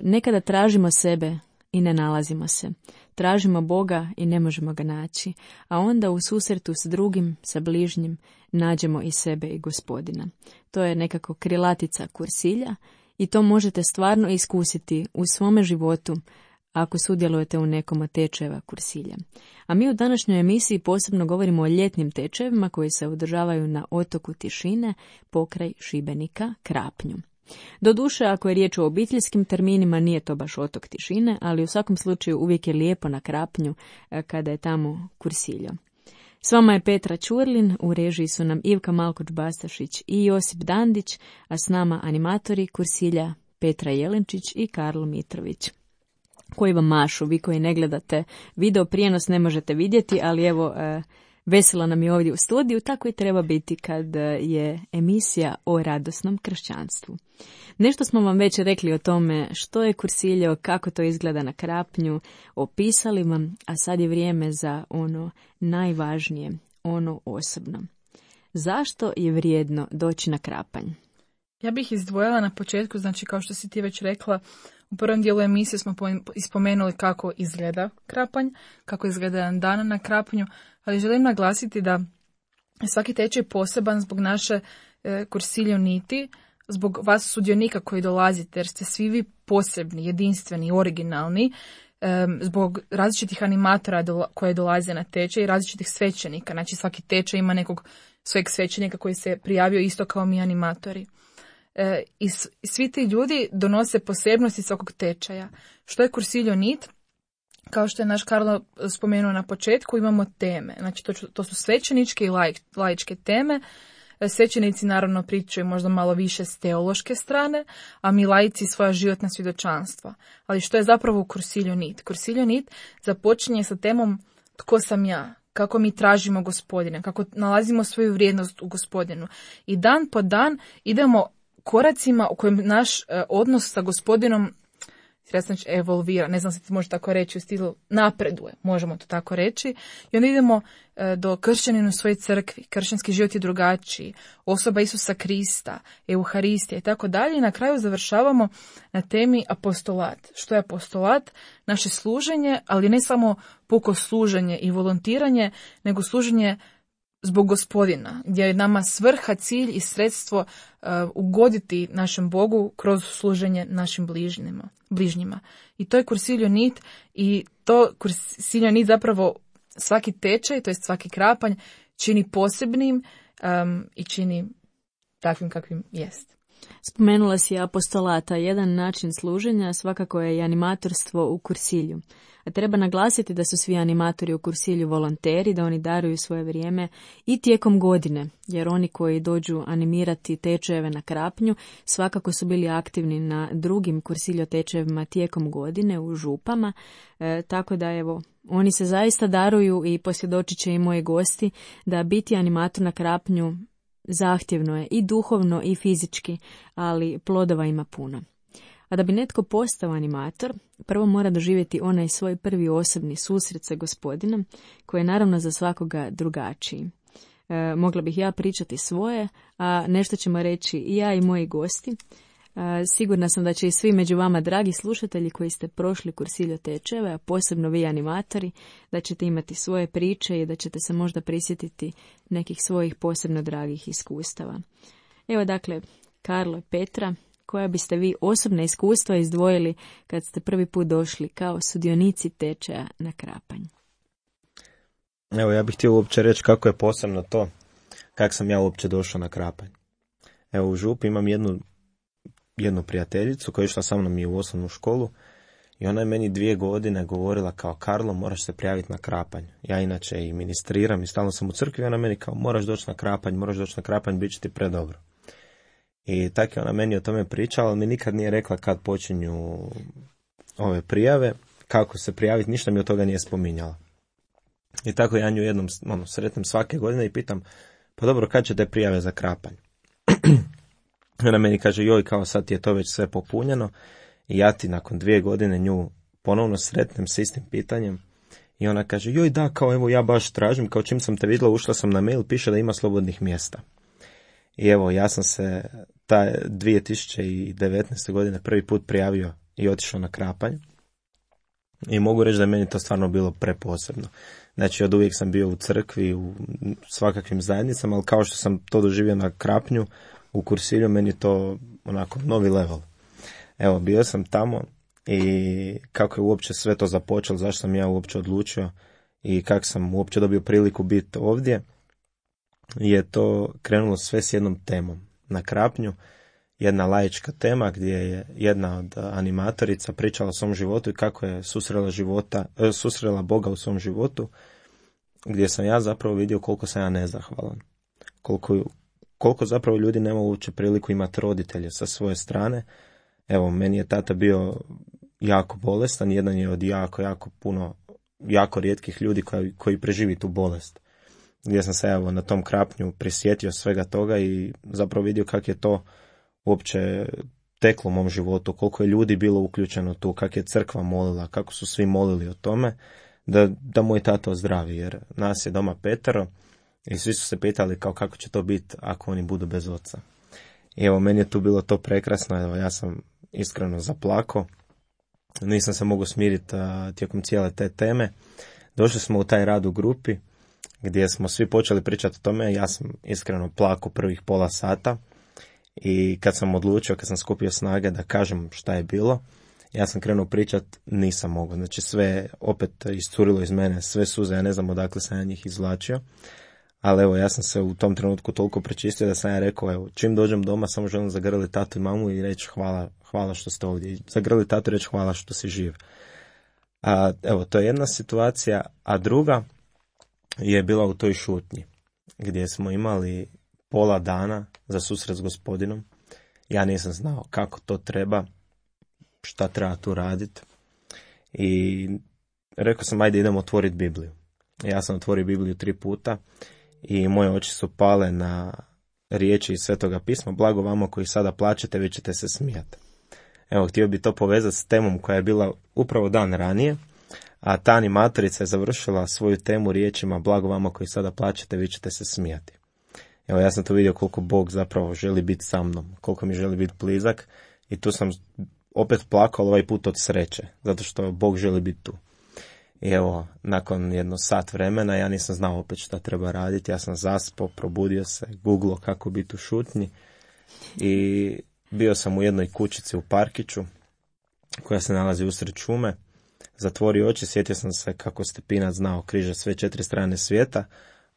nekada tražimo sebe i ne nalazimo se. Tražimo Boga i ne možemo ga naći, a onda u susretu s drugim, sa bližnjim, nađemo i sebe i Gospodina. To je nekako krilatica Kursilja i to možete stvarno iskusiti u svome životu ako sudjelujete u nekom od tečajeva Kursilja. A mi u današnjoj emisiji posebno govorimo o ljetnim tečajevima koji se održavaju na otoku Tišine pokraj Šibenika, Krapnju. Doduše, ako je riječ o obiteljskim terminima, nije to baš otok Tišine, ali u svakom slučaju uvijek je lijepo na Krapnju kada je tamo Kursiljo. S vama je Petra Ćurlin, u režiji su nam Ivka Malkoč-Bastašić i Josip Dandić, a s nama animatori Kursilja Petra Jelenčić i Karlo Mitrović, koji vam mašu. Vi koji ne gledate video prijenos ne možete vidjeti, ali evo, veselo nam je ovdje u studiju, tako i treba biti kad je emisija o radosnom kršćanstvu. Nešto smo vam već rekli o tome što je Kursiljo, kako to izgleda na Krapnju, opisali vam, a sad je vrijeme za ono najvažnije, ono osobno. Zašto je vrijedno doći na Krapanj? Ja bih izdvojila na početku, znači kao što si ti već rekla, u prvom dijelu emisije smo ispomenuli kako izgleda Krapanj, kako izgleda jedan dan na Krapnju, ali želim naglasiti da svaki tečaj poseban zbog naše Kursiljo niti, zbog vas sudionika koji dolazite, jer ste svi vi posebni, jedinstveni, originalni, zbog različitih animatora koje dolaze na tečaj i različitih svećenika. Znači svaki tečaj ima nekog svojeg svećenika koji se prijavio isto kao mi animatori. I svi ti ljudi donose posebnosti svakog tečaja. Što je Kursiljo nit? Kao što je naš Karlo spomenuo na početku, imamo teme. Znači to su svećeničke i laičke teme. Svećenici naravno pričaju možda malo više s teološke strane, a mi laici svoja životna svjedočanstva. Ali što je zapravo u Kursiljo nit? Kursiljo nit započinje sa temom tko sam ja, kako mi tražimo Gospodina, kako nalazimo svoju vrijednost u Gospodinu. I dan po dan idemo koracima u kojem naš odnos sa Gospodinom evolvira, ne znam se ti može tako reći, u stilu napreduje, možemo to tako reći. I onda idemo do kršćanina u svojoj crkvi, kršćanski život je drugačiji, osoba Isusa Krista, Euharistija i tako dalje. I na kraju završavamo na temi apostolat. Što je apostolat? Naše služenje, ali ne samo puko služenje i volontiranje, nego služenje zbog Gospodina, gdje je nama svrha, cilj i sredstvo ugoditi našem Bogu kroz služenje našim bližnjima. I to je Kursiljo nit i to Kursiljo nit zapravo svaki tečaj, to jest svaki Krapanj, čini posebnim i čini takvim kakvim jest. Spomenula si apostolata, jedan način služenja svakako je i animatorstvo u Kursilju. A treba naglasiti da su svi animatori u Kursilju volonteri, da oni daruju svoje vrijeme i tijekom godine, jer oni koji dođu animirati tečajeve na Krapnju svakako su bili aktivni na drugim Kursiljo tečajevima tijekom godine u župama, tako da evo, oni se zaista daruju i posvjedočit će i moji gosti da biti animator na Krapnju zahtjevno je i duhovno i fizički, ali plodova ima puno. A da bi netko postao animator, prvo mora doživjeti onaj svoj prvi osobni susret sa Gospodinom, koji je naravno za svakoga drugačiji. Mogla bih ja pričati svoje, a nešto ćemo reći i ja i moji gosti. Sigurna sam da će i svi među vama, dragi slušatelji koji ste prošli Kursiljo tečajeve, a posebno vi animatori, da ćete imati svoje priče i da ćete se možda prisjetiti nekih svojih posebno dragih iskustava. Evo dakle, Karlo i Petra, koja biste vi osobna iskustva izdvojili kad ste prvi put došli kao sudionici tečaja na Krapanj? Evo, ja bih htio uopće reći kako je posebno to, kako sam ja uopće došao na Krapanj. Evo, u Župi imam jednu prijateljicu koja je išla sa mnom i u osnovnu školu i ona je meni 2 godine govorila kao: Karlo, moraš se prijaviti na Krapanj. Ja inače i ministriram i stalno sam u crkvi, ona meni kao: moraš doći na Krapanj, bit će ti predobro. I tako je ona meni o tome pričala, ali mi nikad nije rekla kad počinju ove prijave, kako se prijaviti, ništa mi od toga nije spominjala. I tako ja nju jednom sretnem svake godine i pitam: pa dobro, kad će te prijave za Krapanj? Ona meni kaže: joj, kao sad je to već sve popunjeno. I ja ti nakon 2 godine nju ponovno sretnem s istim pitanjem. I ona kaže: joj, da, kao evo ja baš tražim, kao čim sam te vidjela, ušla sam na mail, piše da ima slobodnih mjesta. I evo, ja sam se ta 2019. godine prvi put prijavio i otišao na Krapanj. I mogu reći da je meni to stvarno bilo preposebno. Znači, od uvijek sam bio u crkvi, u svakakvim zajednicama, ali kao što sam to doživio na Krapnju, u Kursilju, meni je to onako novi level. Evo, bio sam tamo i kako je uopće sve to započelo, zašto sam ja uopće odlučio i kako sam uopće dobio priliku biti ovdje, je to krenulo sve s jednom temom. Na Krapnju, jedna laička tema gdje je jedna od animatorica pričala o svom životu i kako je susrela Boga u svom životu, gdje sam ja zapravo vidio koliko sam ja nezahvalan. Koliko zapravo ljudi nema uopće priliku imati roditelje sa svoje strane. Evo, meni je tata bio jako bolestan, jedan je od jako rijetkih ljudi koji preživi tu bolest. Gdje sam se evo na tom Krapnju prisjetio svega toga i zapravo vidio kako je to uopće teklo u mom životu, koliko je ljudi bilo uključeno tu, kako je crkva molila, kako su svi molili o tome da moj tata ozdravi, jer nas je doma 5 i svi su se pitali kao kako će to biti ako oni budu bez oca. I evo, meni je tu bilo to prekrasno, evo, ja sam iskreno zaplakao, nisam se mogao smiriti tijekom cijele te teme. Došli smo u taj rad u grupi gdje smo svi počeli pričati o tome, ja sam iskreno plakao prvih pola sata i kad sam odlučio, kad sam skupio snage da kažem šta je bilo, ja sam krenuo pričat, nisam mogao, znači sve opet iscurilo iz mene, sve suze, ja ne znam odakle sam ja njih izvlačio. Ali evo, ja sam se u tom trenutku toliko prečistio da sam ja rekao, evo, čim dođem doma samo želim zagrliti tatu i mamu i reći hvala što ste ovdje. Zagrliti tatu i reći hvala što si živ. Evo, to je jedna situacija, a druga je bila u toj šutnji, gdje smo imali pola dana za susret s Gospodinom. Ja nisam znao kako to treba, šta treba tu raditi. I rekao sam, ajde idemo otvoriti Bibliju. Ja sam otvorio Bibliju 3 puta. I moje oči su pale na riječi iz Svetoga pisma: blago vama koji sada plačete, vi ćete se smijati. Evo, htio bi to povezati s temom koja je bila upravo dan ranije, a ta animatorica je završila svoju temu riječima: blago vama koji sada plačete, vi ćete se smijati. Evo, ja sam tu vidio koliko Bog zapravo želi biti sa mnom, koliko mi želi biti blizak i tu sam opet plakao, ovaj put od sreće, zato što Bog želi biti tu. I evo, nakon jedno sat vremena ja nisam znao opet šta treba raditi, ja sam zaspao, probudio se, googlao kako biti u šutnji i bio sam u jednoj kućici u parkiću koja se nalazi usred šume. Zatvorio oči, sjetio sam se kako Stepinac znao križa sve 4 strane svijeta,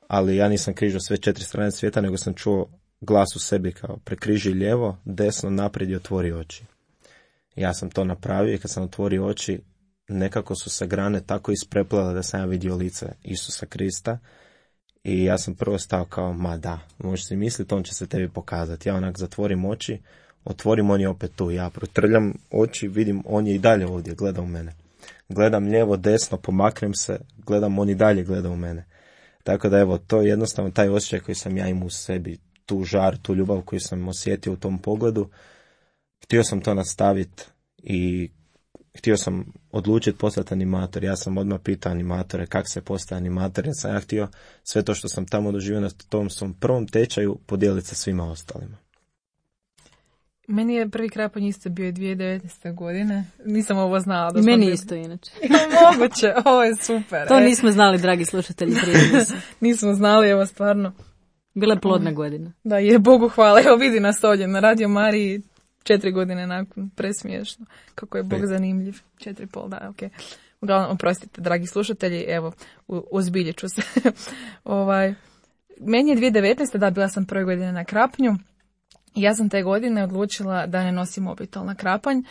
ali ja nisam križao sve 4 strane svijeta, nego sam čuo glas u sebi kao: prekriži lijevo, desno, naprijed i otvori oči. Ja sam to napravio i kad sam otvorio oči, nekako su se grane tako ispreplele da sam ja vidio lice Isusa Krista i ja sam prvo stao kao: ma da, možeš si misliti, on će se tebi pokazati. Ja onak zatvorim oči, otvorim, on je opet tu, ja protrljam oči, vidim, on je i dalje ovdje, gleda u mene. Gledam lijevo, desno, pomaknem se, gledam, on i dalje gleda u mene. Tako da evo, to je jednostavno taj osjećaj koji sam ja imao u sebi, tu žar, tu ljubav koju sam osjetio u tom pogledu. Htio sam to nastaviti i htio sam odlučiti postati animator. Ja sam odmah pitao animatore kako se postaje animator. Ja sam htio sve to što sam tamo doživio na tom svom prvom tečaju podijeliti sa svima ostalima. Meni je prvi Krapanj isto bio 2019. godine. Nisam ovo znala. I meni isto inače. Moguće, ovo je super. To nismo znali, dragi slušatelji. Nismo znali, evo stvarno. Bila je plodna godina. Da, je Bogu hvala. Evo vidi nas ovdje na Radio Mariji 4 godine nakon, presmiješno. Kako je Bog zanimljiv. 4,5, da, ok. Uglavnom, oprostite, dragi slušatelji, evo, ozbiljit ću se. Meni je 2019. da, bila sam prve godine na Krapnju. Ja sam te godine odlučila da ne nosim mobitel na Krapanj.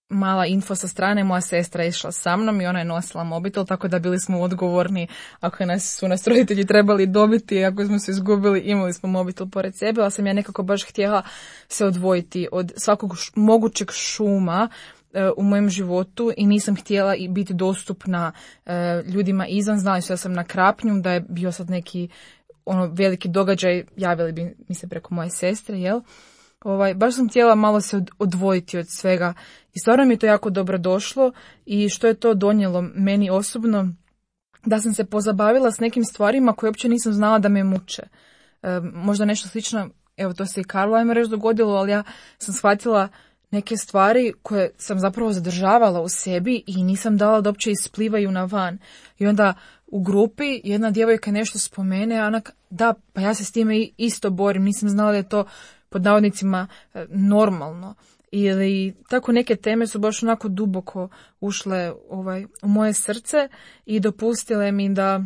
Mala info sa strane, moja sestra je išla sa mnom i ona je nosila mobitel, tako da bili smo odgovorni ako su nas roditelji trebali dobiti, ako smo se izgubili, imali smo mobitel pored sebe, ali sam ja nekako baš htjela se odvojiti od svakog mogućeg šuma u mojem životu i nisam htjela biti dostupna ljudima izvan. Znali su da sam na Krapnju, da je bio sad neki veliki događaj, javili bi mi se preko moje sestre, jel? Baš sam htjela malo se odvojiti od svega i stvarno mi je to jako dobro došlo i što je to donijelo meni osobno, da sam se pozabavila s nekim stvarima koje uopće nisam znala da me muče. Možda nešto slično, evo to se i Karlo ajmo reći dogodilo, ali ja sam shvatila neke stvari koje sam zapravo zadržavala u sebi i nisam dala da uopće isplivaju na van. I onda u grupi jedna djevojka nešto spomene, a ona da, pa ja se s time isto borim, nisam znala da je to pod navodnicima normalno. Ili tako neke teme su baš onako duboko ušle u moje srce i dopustile mi da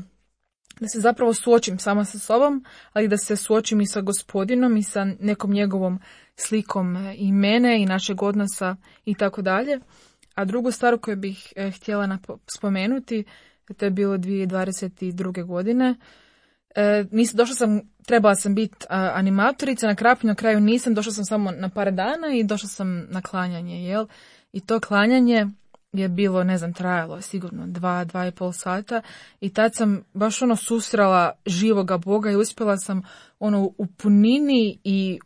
se zapravo suočim sama sa sobom, ali da se suočim i sa Gospodinom i sa nekom njegovom slikom i mene i našeg odnosa i tako dalje. A drugu stvar koju bih htjela spomenuti, to je bilo 2022. godine. Trebala sam biti animatorica, na Krapnju na kraju nisam, došla sam samo na par dana i došla sam na klanjanje, jel? I to klanjanje je bilo, ne znam, trajalo sigurno 2,5 sata i tad sam baš susrela živoga Boga i uspjela sam u punini i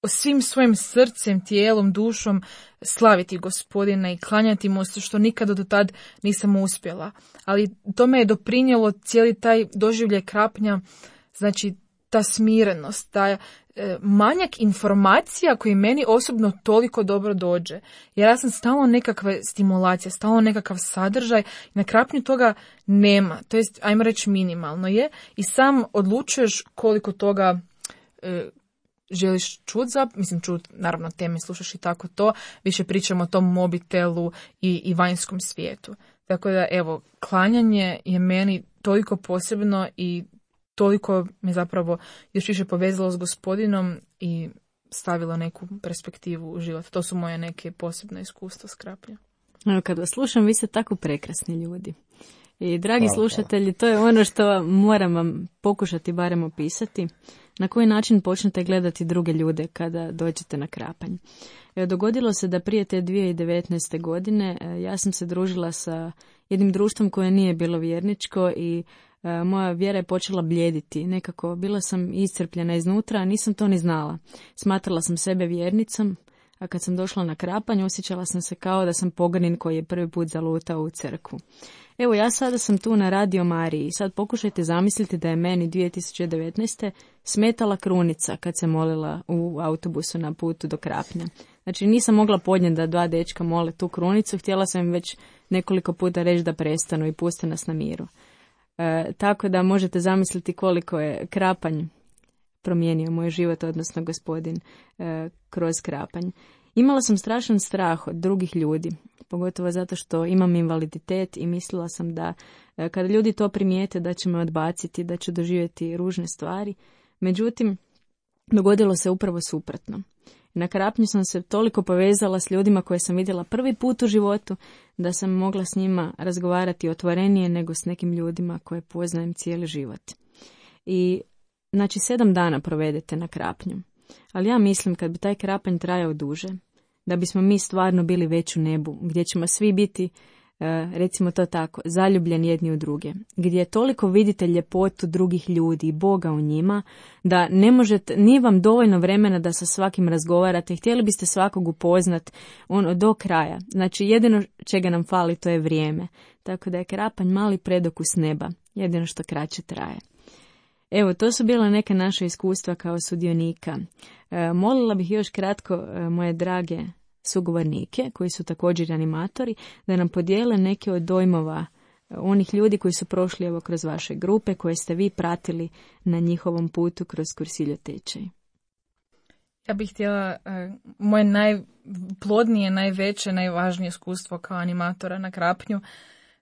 svim svojim srcem, tijelom, dušom slaviti Gospodina i klanjati mu se, što nikada do tad nisam uspjela. Ali to me je doprinijelo cijeli taj doživljaj Krapnja, znači ta smirenost, taj manjak informacija koji meni osobno toliko dobro dođe. Jer ja sam stalno nekakve stimulacije, stalno nekakav sadržaj i na Krapnju toga nema. To jest, ajmo reći, minimalno je i sam odlučuješ koliko toga želiš čut, naravno teme slušaš i tako to, više pričamo o tom mobitelu i vanjskom svijetu. Tako da, evo, klanjanje je meni toliko posebno i toliko me zapravo još više povezalo s Gospodinom i stavilo neku perspektivu u život. To su moje neke posebne iskustva s Krapnja. Evo, kad vas slušam, vi ste tako prekrasni ljudi. I dragi slušatelji, to je ono što moram vam pokušati barem opisati. Na koji način počnete gledati druge ljude kada dođete na Krapanj. Dogodilo se da prije te 2019. godine ja sam se družila sa jednim društvom koje nije bilo vjerničko i moja vjera je počela bljediti. Nekako bila sam iscrpljena iznutra, a nisam to ni znala. Smatrala sam sebe vjernicom, a kad sam došla na Krapanj osjećala sam se kao da sam pogrin koji je prvi put zalutao u crkvu. Evo, ja sada sam tu na Radio Mariji. Sad pokušajte zamisliti da je meni 2019. smetala krunica kad se molila u autobusu na putu do Krapnja. Znači, nisam mogla podnijeti da 2 dečka mole tu krunicu, htjela sam im već nekoliko puta reći da prestanu i puste nas na miru. Tako da možete zamisliti koliko je Krapanj promijenio moj život, odnosno Gospodin kroz Krapanj. Imala sam strašan strah od drugih ljudi, pogotovo zato što imam invaliditet i mislila sam da kada ljudi to primijete da će me odbaciti, da ću doživjeti ružne stvari. Međutim, dogodilo se upravo suprotno. Na Krapnju sam se toliko povezala s ljudima koje sam vidjela prvi put u životu da sam mogla s njima razgovarati otvorenije nego s nekim ljudima koje poznajem cijeli život. I znači 7 dana provedete na Krapnju. Ali ja mislim kad bi taj Krapanj trajao duže, da bismo mi stvarno bili već u nebu, gdje ćemo svi biti, recimo to tako, zaljubljeni jedni u druge, gdje toliko vidite ljepotu drugih ljudi i Boga u njima, da ne možete, nije vam dovoljno vremena da sa svakim razgovarate, htjeli biste svakog upoznat do kraja. Znači jedino čega nam fali to je vrijeme. Tako da je Krapanj mali predokus neba, jedino što kraće traje. Evo, to su bila neka naša iskustva kao sudionika. Molila bih još kratko moje drage sugovornike, koji su također animatori, da nam podijele neke od dojmova onih ljudi koji su prošli evo kroz vaše grupe, koje ste vi pratili na njihovom putu kroz Kursiljo tečaj. Ja bih htjela, moje najplodnije, najveće, najvažnije iskustvo kao animatora na Krapnju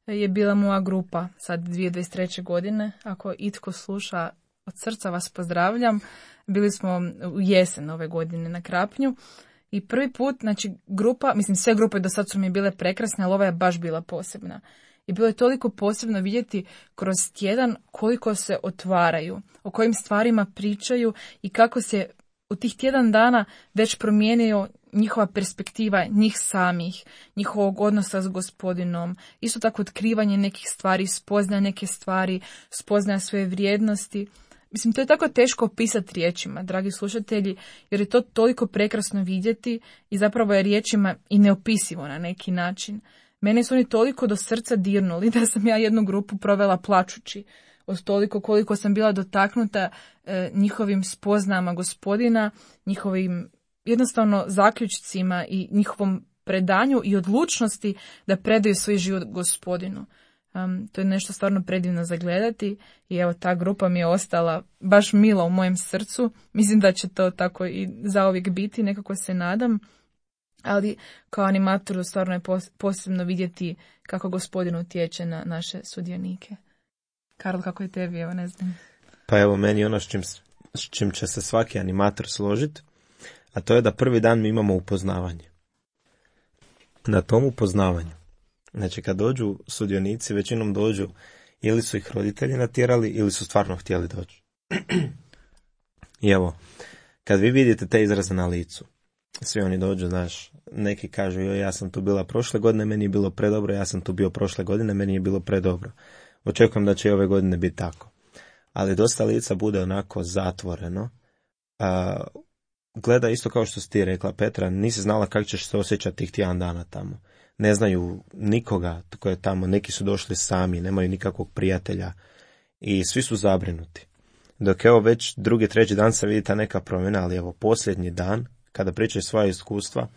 je bila moja grupa sad 2023. godine. Ako itko sluša, od srca vas pozdravljam. Bili smo u jesen ove godine na Krapnju i prvi put, znači grupa, mislim sve grupe do sad su mi bile prekrasne, ali ova je baš bila posebna. I bilo je toliko posebno vidjeti kroz tjedan koliko se otvaraju, o kojim stvarima pričaju i kako se u tih tjedan dana već promijenio njihova perspektiva, njih samih, njihovog odnosa s Gospodinom, isto tako otkrivanje nekih stvari, spoznaja neke stvari, spoznaja svoje vrijednosti. Mislim, to je tako teško opisati riječima, dragi slušatelji, jer je to toliko prekrasno vidjeti i zapravo je riječima i neopisivo na neki način. Mene su oni toliko do srca dirnuli da sam ja jednu grupu provela plačući od toliko koliko sam bila dotaknuta njihovim spoznama Gospodina, njihovim jednostavno zaključcima i njihovom predanju i odlučnosti da predaju svoj život Gospodinu. To je nešto stvarno predivno za gledati i evo ta grupa mi je ostala baš mila u mojem srcu. Mislim da će to tako i zauvijek biti, nekako se nadam. Ali kao animatoru stvarno je posebno vidjeti kako Gospodin utječe na naše sudionike. Karl, kako je tebi, evo ne znam. Pa evo meni ono s čim će se svaki animator složiti, a to je da prvi dan mi imamo upoznavanje. Na tom upoznavanju, znači kad dođu sudionici, većinom dođu ili su ih roditelji natjerali ili su stvarno htjeli doći. I evo, kad vi vidite te izraze na licu, svi oni dođu, znaš, neki kažu ja sam tu bila prošle godine, meni je bilo predobro, ja sam tu bio prošle godine, meni je bilo predobro. Očekujem da će i ove godine biti tako. Ali dosta lica bude onako zatvoreno. Gleda isto kao što si ti rekla, Petra, nisi znala kako ćeš se osjećati tih tjedan dana tamo. Ne znaju nikoga tko je tamo, neki su došli sami, nemaju nikakvog prijatelja i svi su zabrinuti. Dok evo već drugi, treći dan se vidi ta neka promjena, ali evo posljednji dan, kada pričaju svoja iskustva,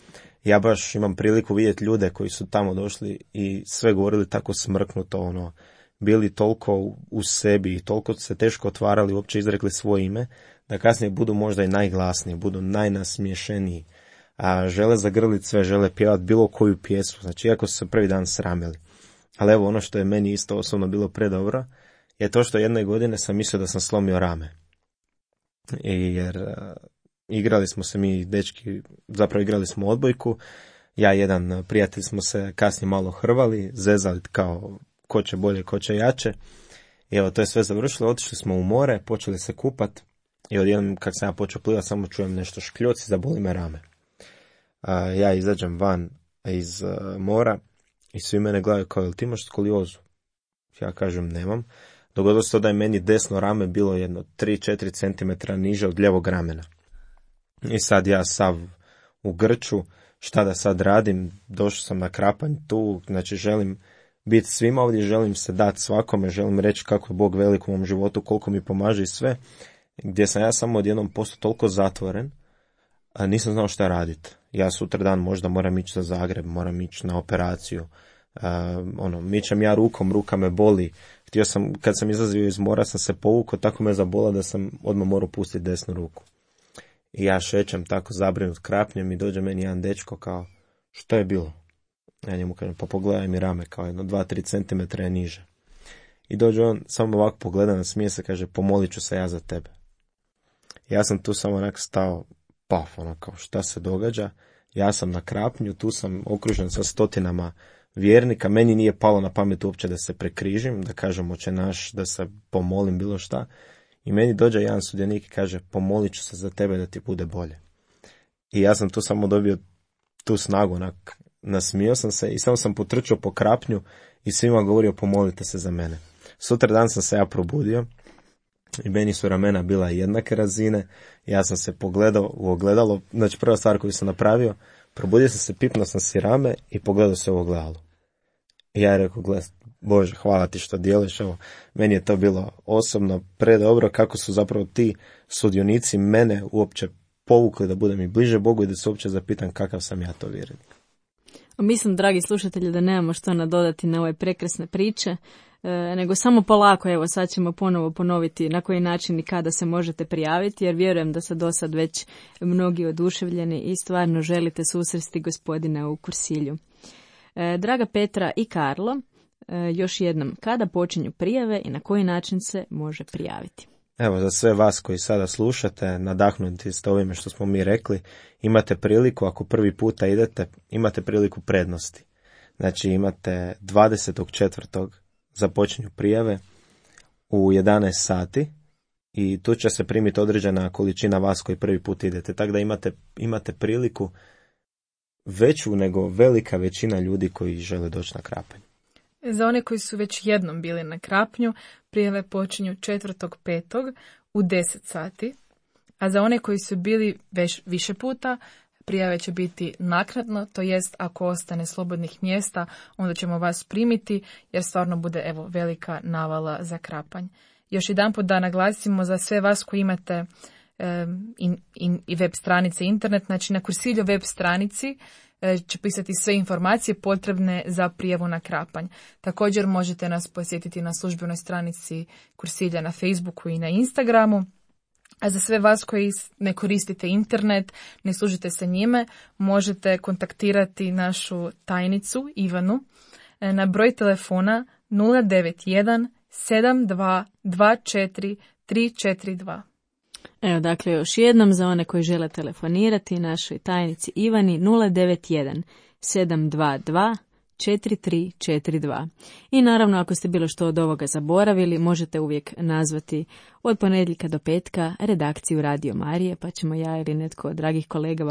ja baš imam priliku vidjeti ljude koji su tamo došli i sve govorili tako smrknuto, bili toliko u sebi i toliko se teško otvarali, uopće izrekli svoje ime, da kasnije budu možda i najglasniji, budu najnasmiješeniji, a žele zagrliti sve, žele pjevati bilo koju pjesmu, znači iako su se prvi dan sramili. Ali evo ono što je meni isto osobno bilo predobro, je to što jedne godine sam mislio da sam slomio rame. Jer igrali smo se mi dečki, zapravo igrali smo odbojku, ja i jedan prijatelj smo se kasnije malo hrvali, zezali kao ko će bolje, ko će jače. I evo, to je sve završilo, otišli smo u more, počeli se kupat i odjednom kad sam ja počeo plivati, samo čujem nešto škljoci, zaboli me rame. Ja izađem van iz mora i svi mene gledaju kao, jel ti imaš skoliozu? Ja kažem, nemam. Dogodilo se to da je meni desno rame bilo jedno 3-4 cm niže od ljevog ramena. I sad ja sav u grču, šta da sad radim, došao sam na Krapanj tu, znači želim biti svima ovdje, želim se dati svakome, želim reći kako je Bog velik u mom životu, koliko mi pomaže i sve, gdje sam ja samo odjednom postao toliko zatvoren, a nisam znao šta raditi. Ja sutra dan možda moram ići za Zagreb, moram ići na operaciju, mičem ja rukom, ruka me boli. Htio sam, kad sam izlazio iz mora, sam se povukao, tako me zabola da sam odmah morao pustiti desnu ruku. I ja šećem tako zabrinut Krapnjem i dođe meni jedan dečko kao, što je bilo? Ja njemu kažem, pa pogledaj mi rame, kao jedno 2-3 cm je niže. I dođe on, samo ovako pogleda, nasmije se, kaže, pomolit ću se ja za tebe. Ja sam tu samo onak stao, paf, kao šta se događa? Ja sam na Krapnju, tu sam okružen sa stotinama vjernika, meni nije palo na pamet uopće da se prekrižim, da kažem oče naš, da se pomolim bilo šta. I meni dođe jedan sudionik i kaže, pomolit ću se za tebe da ti bude bolje. I ja sam tu samo dobio tu snagu, nasmio sam se i samo sam potrčao po Krapnju i svima govorio, pomolite se za mene. Sutra dan sam se ja probudio i meni su ramena bila jednake razine, ja sam se pogledao u ogledalo, znači prva stvar koju sam napravio, probudio sam se, pipnuo sam si rame i pogledao se u ogledalo. I ja je rekao, Bože, hvala ti što dijeliš, evo, meni je to bilo osobno predobro kako su zapravo ti sudionici mene uopće povukli da budem i bliže Bogu i da se uopće zapitam kakav sam ja to vjernik. Mislim, dragi slušatelji, da nemamo što nadodati na ove prekrasne priče, nego samo polako, evo sad ćemo ponovo ponoviti na koji način i kada se možete prijaviti, jer vjerujem da su do sad već mnogi oduševljeni i stvarno želite susresti Gospodina u Kursilju. Draga Petra i Karlo, još jednom, kada počinju prijave i na koji način se može prijaviti? Evo, za sve vas koji sada slušate, nadahnuti ste ovime što smo mi rekli, imate priliku, ako prvi puta idete, imate priliku prednosti. Znači imate 24. započinju prijave u 11 sati i tu će se primiti određena količina vas koji prvi put idete. Tako da imate priliku veću nego velika većina ljudi koji žele doći na Krapanj. Za one koji su već jednom bili na Krapnju, prijave počinju 4.5. u 10 sati, a za one koji su bili već više puta, prijave će biti naknadno, to jest ako ostane slobodnih mjesta, onda ćemo vas primiti, jer stvarno bude velika navala za Krapanj. Još jedanput da naglasimo za sve vas koji imate i web stranice, internet, znači na Kursiljo web stranici će pisati sve informacije potrebne za prijavu na Krapanj. Također možete nas posjetiti na službenoj stranici Kursilja na Facebooku i na Instagramu. A za sve vas koji ne koristite internet, ne služite se njime, možete kontaktirati našu tajnicu Ivanu na broj telefona 091 7224 342. Evo, dakle, još jednom za one koji žele telefonirati našoj tajnici Ivani 091 722 4342. I naravno, ako ste bilo što od ovoga zaboravili, možete uvijek nazvati od ponedjeljka do petka redakciju Radio Marije, pa ćemo ja ili netko od dragih kolega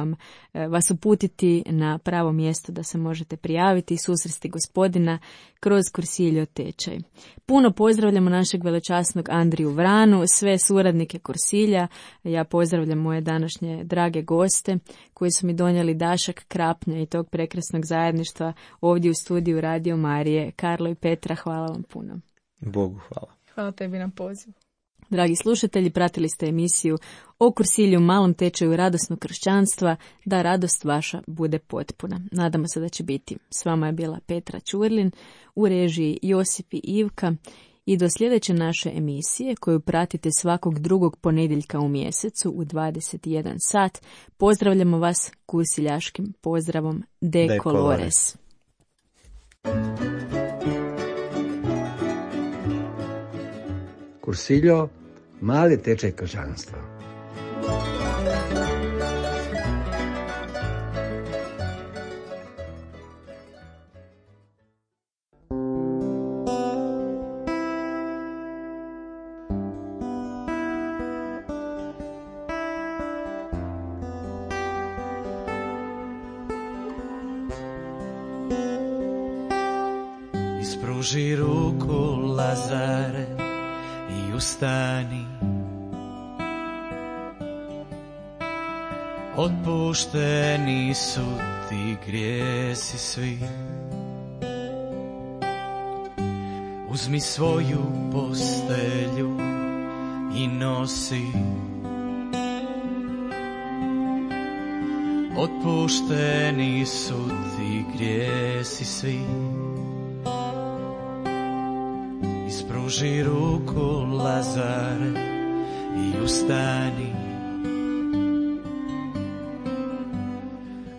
vas uputiti na pravo mjesto da se možete prijaviti i susresti Gospodina kroz Kursiljo tečaj. Puno pozdravljamo našeg velečasnog Andriju Vranu, sve suradnike Kursilja. Ja pozdravljam moje današnje drage goste koji su mi donijeli dašak Krapnja i tog prekrasnog zajedništva ovdje u studiju Radio Marije. Karlo i Petra, hvala vam puno. Bogu hvala. Hvala tebi na pozivu. Dragi slušatelji, pratili ste emisiju o Kursilju, malom tečaju radosnog kršćanstva, da radost vaša bude potpuna. Nadamo se da će biti. S vama je bila Petra Čurlin, u režiji Josip i Ivka. I do sljedeće naše emisije, koju pratite svakog drugog ponedjeljka u mjesecu u 21 sat, pozdravljamo vas kursiljaškim pozdravom De Colores. Kursiljo, mali tečaj kršćanstva. Ispruži ruku, Lazare, i ustani. Otpušteni su ti grijesi svi. Uzmi svoju postelju i nosi. Otpušteni su ti grijesi svi. Ispruži ruku, Lazare, i ustani.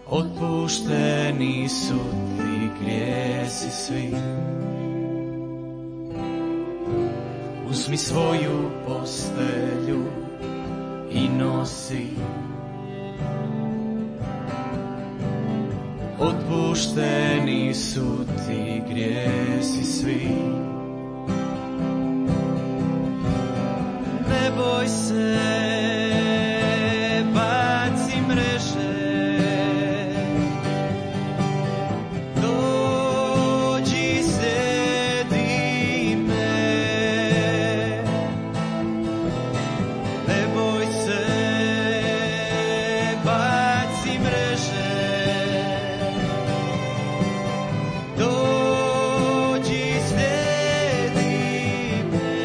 Otpušteni su ti grijesi svi. Uzmi svoju postelju i nosi. Otpušteni su ti grijesi svi. Ne boj se, baci mreže. Dođi, slijedi me. Ne boj se, baci mreže. Dođi, slijedi me.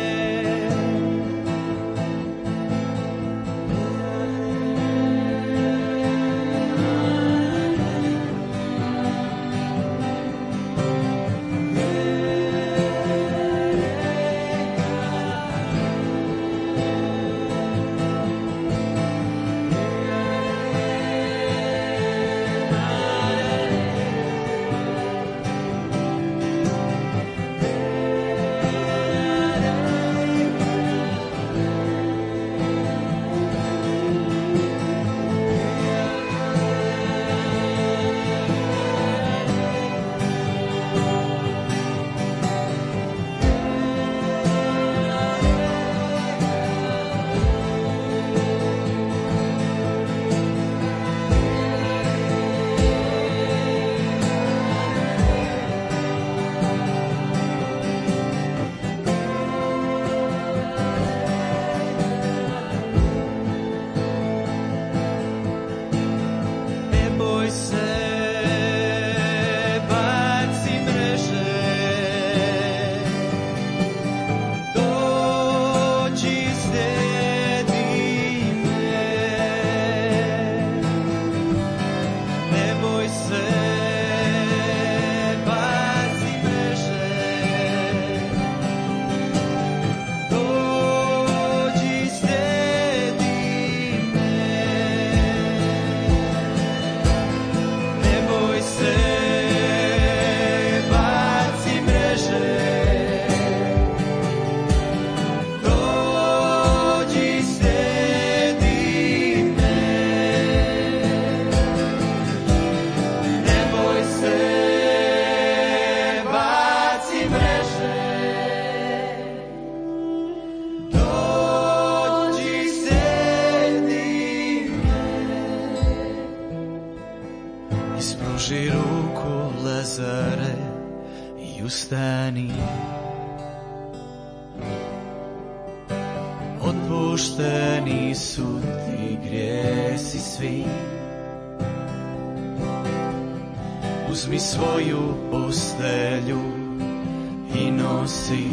ustani. Otpušteni su ti grijesi svi. Uzmi svoju postelju i nosi.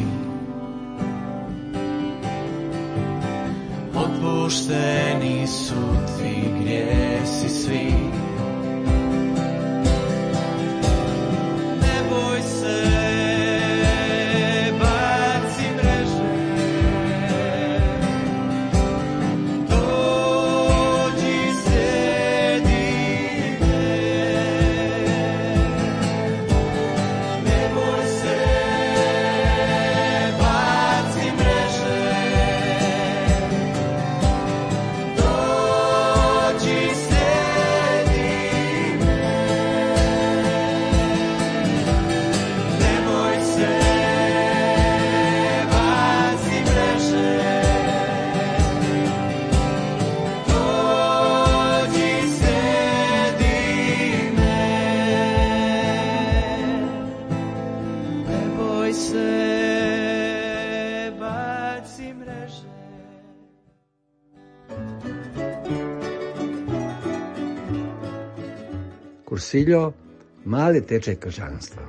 Otpušteni su ti grijesi svi. Ne boj se, baci mreže. Dođi, sjedi me. Ne boj se, baci mreže. Dođi, sjedi me. Ne boj se, baci mreže. Dođi, sjedi me. Ne boj se, baci mreže. Kursiljo, mali tečaj kršćanstva.